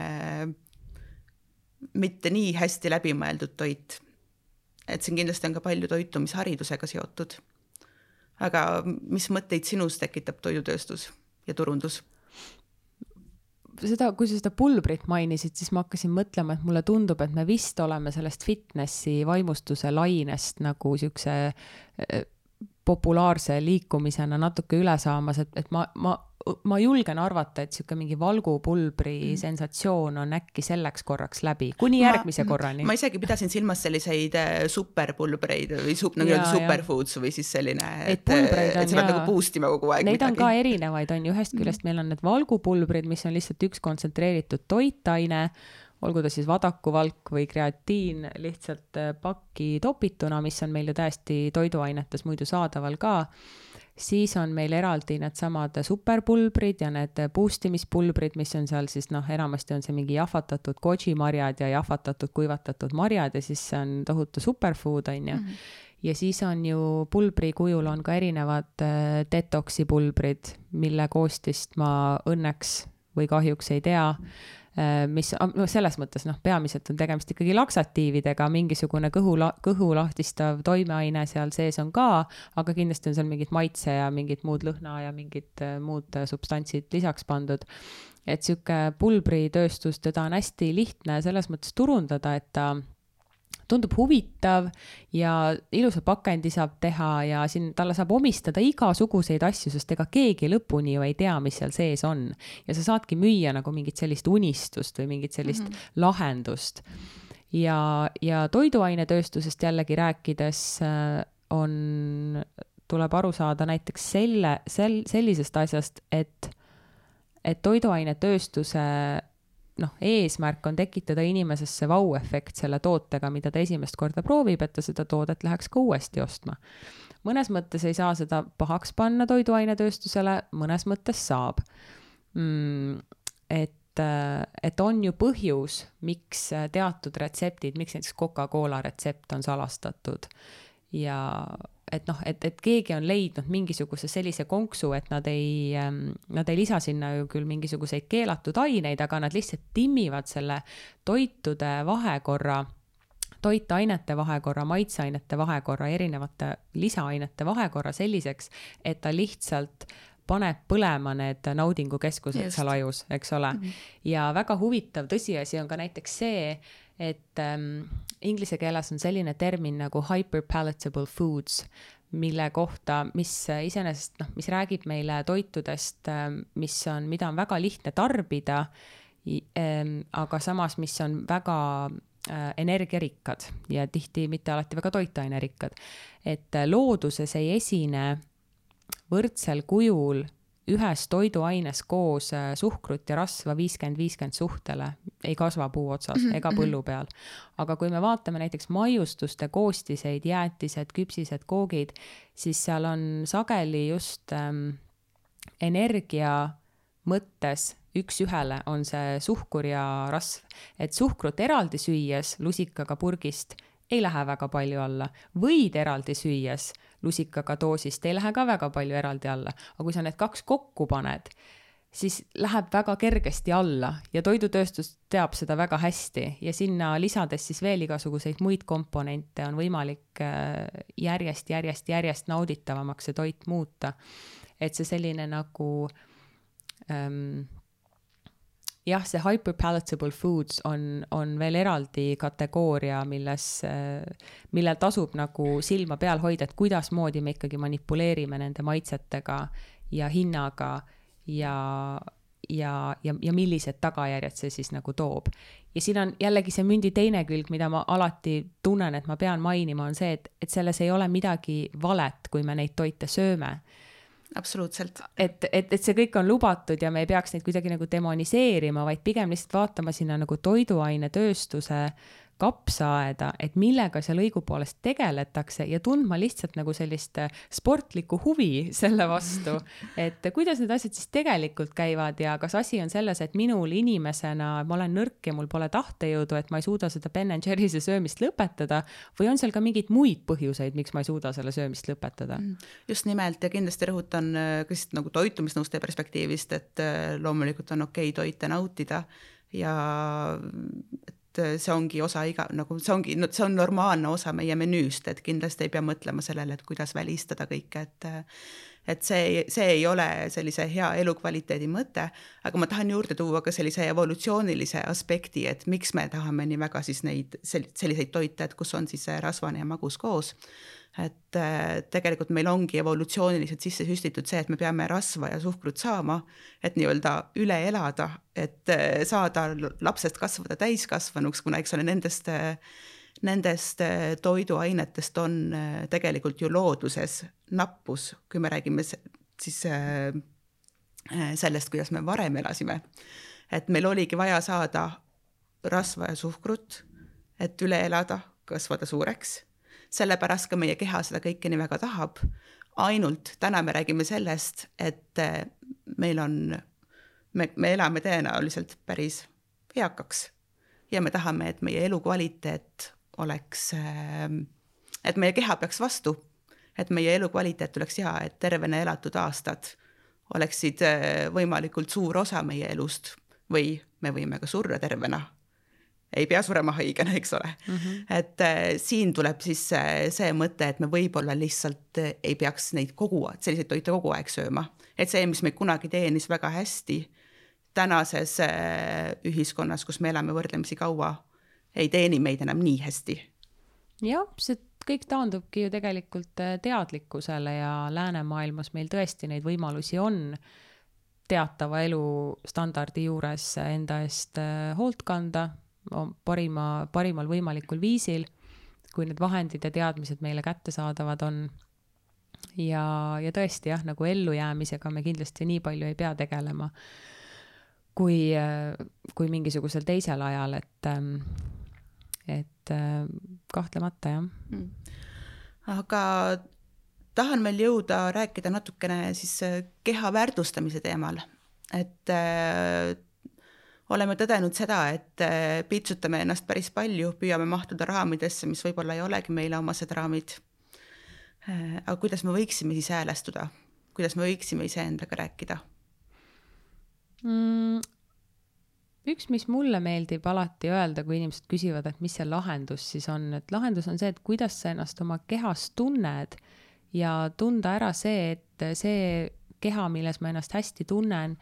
mitte nii hästi läbimõeldud toit. Et siin kindlasti on ka palju toitumisharidusega seotud. Aga mis mõtteid sinus tekitab toidutööstus ja turundus? Kui sa seda pulbrit mainisid, siis ma hakkasin mõtlema, et mulle tundub, et me vist oleme sellest fitnessi vaimustuse lainest nagu siukse populaarse liikumisena natuke üle saamas, et ma julgen arvata, et siuke mingi valgupulbri sensatsioon on äkki selleks korraks läbi, kuni järgmise korrani. Ma isegi pidasin silmas selliseid superpulbreid või superfoods või siis selline, et sa pead nagu boostima kogu aeg. Neid on ka erinevaid, on ju ühest küljest meil on need valgupulbrid, mis on lihtsalt üks kontsentreeritud toitaine, olgu ta siis vadakuvalk või kreatiin lihtsalt pakki topituna, mis on meil ju täiesti toiduainetes muidu saadaval ka. Siis on meil eraldi need samad superpulbrid ja need boostimispulbrid, mis on seal siis enamasti on see mingi jahvatatud goji-marjad ja jahvatatud kuivatatud marjad ja siis see on tohutu superfood, on ju. Ja siis on ju pulbri kujul on ka erinevad detoksi pulbrid, mille koostist ma õnneks või kahjuks ei tea, mis selles mõttes peamiselt on tegemist ikkagi laksatiividega, mingisugune kõhu lahtistav toimeaine seal sees on ka, aga kindlasti on seal mingid maitse ja mingid muud lõhna ja mingid muud substantsid lisaks pandud. Et siuke pulbritööstus, teda on hästi lihtne selles mõttes turundada, et ta tundub huvitav ja ilusa pakendi saab teha ja siin talle saab omistada igasuguseid asju, sest ega keegi lõpuni ju ei tea, mis seal sees on. Ja sa saadki müüa nagu mingit sellist unistust või mingit sellist lahendust. Ja toiduainetööstusest jällegi rääkides tuleb aru saada näiteks sellisest asjast, et toiduainetööstuse eesmärk on tekitada inimesesse vau-efekt selle tootega, mida ta esimest korda proovib, et ta seda toodet läheks ka uuesti ostma. Mõnes mõttes ei saa seda pahaks panna toiduainetööstusele, mõnes mõttes saab. Et on ju põhjus, miks teatud retseptid, miks näiteks Coca-Cola retsept on salastatud ja et keegi on leidnud mingisuguse sellise konksu, et nad ei lisa sinna ju küll mingisuguseid keelatud aineid, aga nad lihtsalt timmivad selle toitude vahekorra, toitainete vahekorra, maitseainete vahekorra, erinevate lisaainete vahekorra selliseks, et ta lihtsalt paneb põlema need naudingukeskused seal ajus, eks ole. Ja väga huvitav tõsiasi on ka näiteks see, et inglise keeles on selline termin nagu hyperpalatable foods, mille kohta, mis iseenesest, mis räägib meile toitudest, mida on väga lihtne tarbida, aga samas, mis on väga energiarikkad ja tihti mitte alati väga toitainerikkad. Et looduses ei esine võrdsel kujul ühes toiduaines koos suhkrut ja rasva 50-50 suhtele, ei kasva puu otsas ega põllu peal. Aga kui me vaatame näiteks maiustuste koostiseid, jäätised, küpsised, koogid, siis seal on sageli just energia mõttes üks ühele on see suhkur ja rasv. Et suhkrut eraldi süües lusikaga purgist ei lähe väga palju alla. Võid eraldi süües lusikaga doosist ei lähe ka väga palju eraldi alla. Aga kui sa need kaks kokku paned, siis läheb väga kergesti alla ja toidutööstus teab seda väga hästi ja lisades siis veel igasuguseid muid komponente on võimalik järjest nauditavamaks see toit muuta. Et see selline nagu see hyperpalatable foods on veel eraldi kategooria, millel tasub nagu silma peal hoida, et kuidas moodi me ikkagi manipuleerime nende maitsetega ja hinnaga ja millised tagajärjed see siis nagu toob. Ja siin on jällegi see mündi teine külg, mida ma alati tunnen, et ma pean mainima, on see, et selles ei ole midagi valet, kui me neid toite sööme. Absoluutselt. Et see kõik on lubatud ja me ei peaks neid kuidagi nagu demoniseerima, vaid pigem lihtsalt vaatama sinna nagu toiduainetööstuse kapsaaeda, et millega seal õigupoolest tegeletakse ja tundma lihtsalt nagu sellist sportlikku huvi selle vastu, et kuidas need asjad siis tegelikult käivad ja kas asi on selles, et minul inimesena, ma olen nõrk ja mul pole tahtejõudu, et ma ei suuda seda Ben & Jerry's söömist lõpetada või on seal ka mingeid muid põhjuseid, miks ma ei suuda selle söömist lõpetada? Just nimelt ja kindlasti rõhutan ka nagu toitumisnõustaja perspektiivist, et loomulikult on okei toite nautida ja see ongi osa see on normaalne osa meie menüüst, et kindlasti ei pea mõtlema sellele, et kuidas välistada kõike, et see ei ole sellise hea elukvaliteedi mõte, aga ma tahan juurde tuua ka sellise evolutsioonilise aspekti, et miks me tahame nii väga siis selliseid toite, et kus on siis rasvane ja magus koos. Et tegelikult meil ongi evolutsiooniliselt sisse süstitud see, et me peame rasva ja suhkrut saama, et nii-öelda üle elada, et saada lapsest kasvada täiskasvanuks, kuna eks ole nendest toiduainetest on tegelikult ju looduses nappus, kui me räägime siis sellest, kuidas me varem elasime. Et meil oligi vaja saada rasva ja suhkrut, et üle elada, kasvada suureks. Sellepärast ka meie keha seda kõike nii väga tahab. Ainult täna me räägime sellest, et me elame tõenäoliselt päris eakaks ja me tahame, et meie elukvaliteet oleks, et meie keha peaks vastu, et meie elukvaliteet oleks hea, et tervena elatud aastad oleksid võimalikult suur osa meie elust või me võime ka surra tervena. Ei pea surema haigena, eks ole. Et siin tuleb siis see mõte, et me võib-olla lihtsalt ei peaks neid selliseid toite kogu aeg sööma. Et see, mis me kunagi teenis väga hästi tänases ühiskonnas, kus me elame võrdlemisi kaua, ei teeni meid enam nii hästi. Jah, see kõik taandubki ju tegelikult teadlikkusele ja läänemaailmas meil tõesti neid võimalusi on teatava elustandardi juures enda eest hoolt kanda, parimal võimalikul viisil, kui need vahendid ja teadmised meile kätte saadavad on. Ja tõesti jah, nagu ellujäämisega me kindlasti nii palju ei pea tegelema. kui mingisugusel teisel ajal, et kahtlemata jah. Aga tahan meil jõuda rääkida natukene siis keha väärtustamise teemal, et oleme tõdenud seda, et piitsutame ennast päris palju, püüame mahtuda raamidesse, mis võib-olla ei olegi meile omased raamid. Aga kuidas me võiksime siis häälestuda? Kuidas me võiksime iseendaga rääkida? Üks, mis mulle meeldib alati öelda, kui inimesed küsivad, et mis see lahendus siis on, et lahendus on see, et kuidas sa ennast oma kehas tunned ja tunda ära see, et see keha, milles ma ennast hästi tunnen,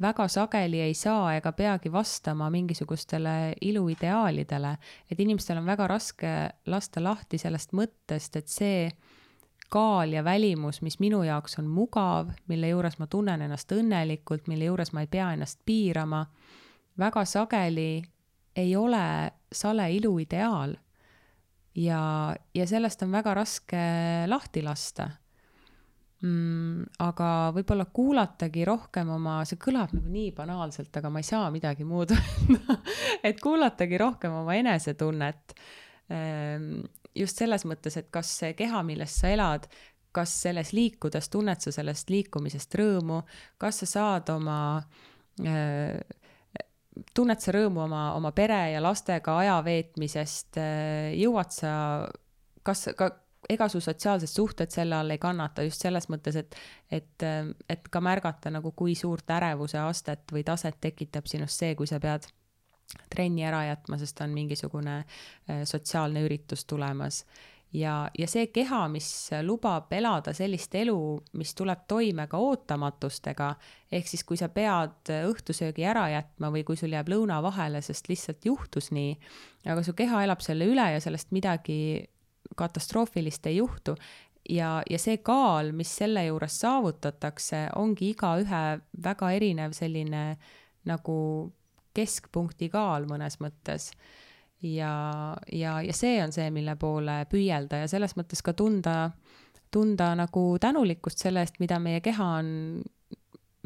väga sageli ei saa ega peagi vastama mingisugustele iluideaalidele, et inimestel on väga raske lasta lahti sellest mõttest, et see kaal ja välimus, mis minu jaoks on mugav, mille juures ma tunnen ennast õnnelikult, mille juures ma ei pea ennast piirama, väga sageli ei ole sale iluideaal ja sellest on väga raske lahti lasta. Aga võib-olla kuulatagi rohkem see kõlab nagu nii banaalselt, aga ma ei saa midagi muud et kuulatagi rohkem oma enesetunnet. Just selles mõttes, et kas see keha, milles sa elad, kas selles liikudes tunned sa sellest liikumisest rõõmu, kas sa saad tunned sa rõõmu oma pere ja lastega aja veetmisest, jõuad sa, ega su sotsiaalsed suhted selle all ei kannata just selles mõttes, et ka märgata nagu kui suurt ärevuse astet või taset tekitab sinust see, kui sa pead trenni ära jätma, sest on mingisugune sotsiaalne üritus tulemas. Ja see keha, mis lubab elada sellist elu, mis tuleb toime ka ootamatustega, ehk siis kui sa pead õhtusöögi ära jätma või kui sul jääb lõuna vahele, sest lihtsalt juhtus nii, aga su keha elab selle üle ja sellest midagi katastroofilist ei juhtu ja see kaal, mis selle juures saavutatakse, ongi igaühe väga erinev selline nagu keskpunkti kaal mõnes mõttes ja see on see, mille poole püüelda ja selles mõttes ka tunda nagu tänulikkust selle eest, mida meie keha on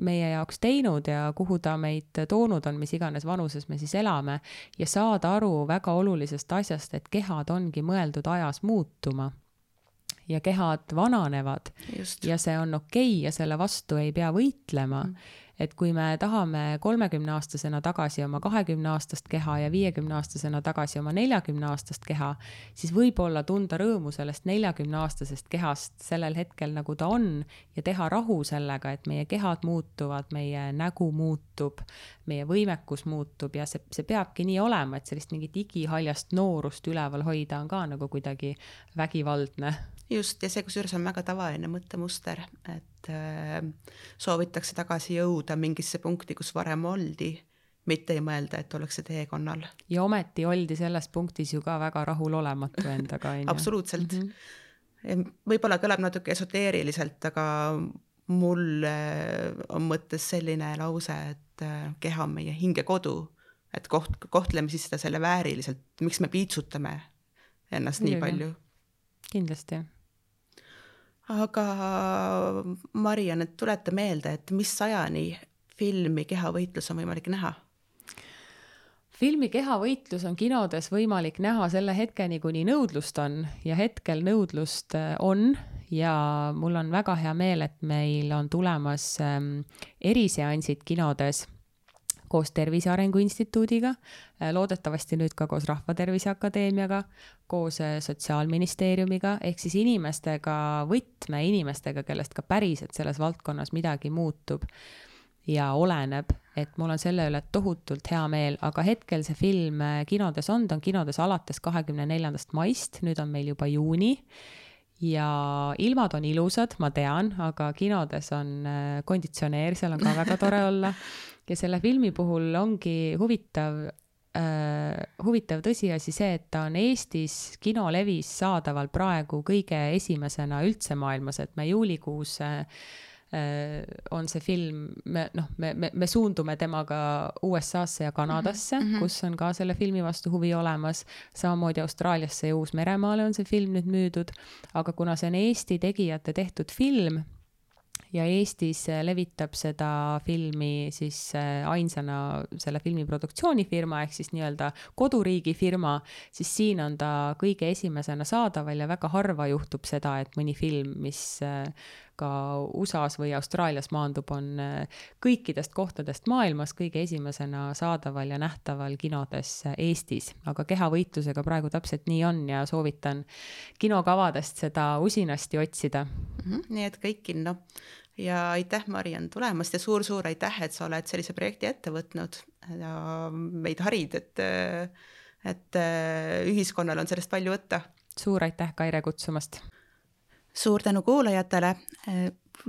meie jaoks teinud ja kuhu ta meid toonud on, mis iganes vanuses me siis elame ja saada aru väga olulisest asjast, et kehad ongi mõeldud ajas muutuma ja kehad vananevad. Just. Ja see on okei ja selle vastu ei pea võitlema. Et kui me tahame 30-aastasena tagasi oma 20-aastast keha ja 50-aastasena tagasi oma 40-aastast keha, siis võib-olla tunda rõõmu sellest 40-aastasest kehast sellel hetkel, nagu ta on ja teha rahu sellega, et meie kehad muutuvad, meie nägu muutub, meie võimekus muutub ja see peabki nii olema, et sellist mingit igihaljast noorust üleval hoida on ka nagu kuidagi vägivaldne. Just, ja see kusjuures on väga tavaline mõttemuster, et soovitakse tagasi jõuda mingisse punkti, kus varem oldi, mitte ei mõelda, et ollakse teekonnal. Ja ometi oldi selles punktis ju ka väga rahulolematu endaga. Absoluutselt. Võib-olla kõlab natuke esoteeriliselt, aga mul on mõttes selline lause, et keha on meie hingekodu, et kohtleme siis seda selle vääriliselt, miks me piitsutame ennast nii palju. Kindlasti. Aga Marian, et tuleta meelde, et mis ajani filmi Kehavõitlus on võimalik näha? Filmi Kehavõitlus on kinodes võimalik näha selle hetkeni, kuni nõudlust on ja hetkel nõudlust on ja mul on väga hea meel, et meil on tulemas eriseansid kinodes koos Tervise Arengu Instituudiga, loodetavasti nüüd ka koos Rahvatervise Akadeemiaga, koos Sotsiaalministeeriumiga, ehk siis võtmeinimestega, kellest ka päriselt selles valdkonnas midagi muutub ja oleneb, et mul on selle üle tohutult hea meel, aga hetkel see film kinodes on, ta on kinodes alates 24. maist, nüüd on meil juba juuni ja ilmad on ilusad, ma tean, aga kinodes on konditsioneer, seal on ka väga tore olla ja selle filmi puhul ongi huvitav tõsiasi see, et ta on Eestis kinolevis saadaval praegu kõige esimesena üldse maailmas, et me juulikuus on see film, me suundume temaga USA-sse ja Kanadasse, kus on ka selle filmi vastu huvi olemas, samamoodi Austraaliasse ja Uus-Meremaale on see film nüüd müüdud, aga kuna see on Eesti tegijate tehtud film ja Eestis levitab seda filmi siis ainsana selle filmi produktsioonifirma ehk siis nii-öelda koduriigi firma, siis siin on ta kõige esimesena saadaval ja väga harva juhtub seda, et mõni film, mis ka USA-s või Austraalias maandub, on kõikidest kohtadest maailmas kõige esimesena saadaval ja nähtaval kinodes Eestis. Aga Kehavõitlusega praegu täpselt nii on ja soovitan kinokavadest seda usinasti otsida. Nii et kõik kinno. Ja aitäh, Mariann, tulemast ja suur-suur aitäh, et sa oled sellise projekti ette võtnud ja meid harid, et ühiskonnal on sellest palju võtta. Suur aitäh, Kaire, kutsumast! Suur tänu kuulajatele.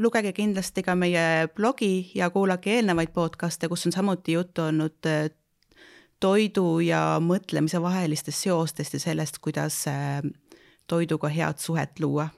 Lugege kindlasti ka meie blogi ja kuulake eelnevaid podcaste, kus on samuti juttu olnud toidu ja mõtlemise vahelistest seostest ja sellest, kuidas toiduga head suhet luua.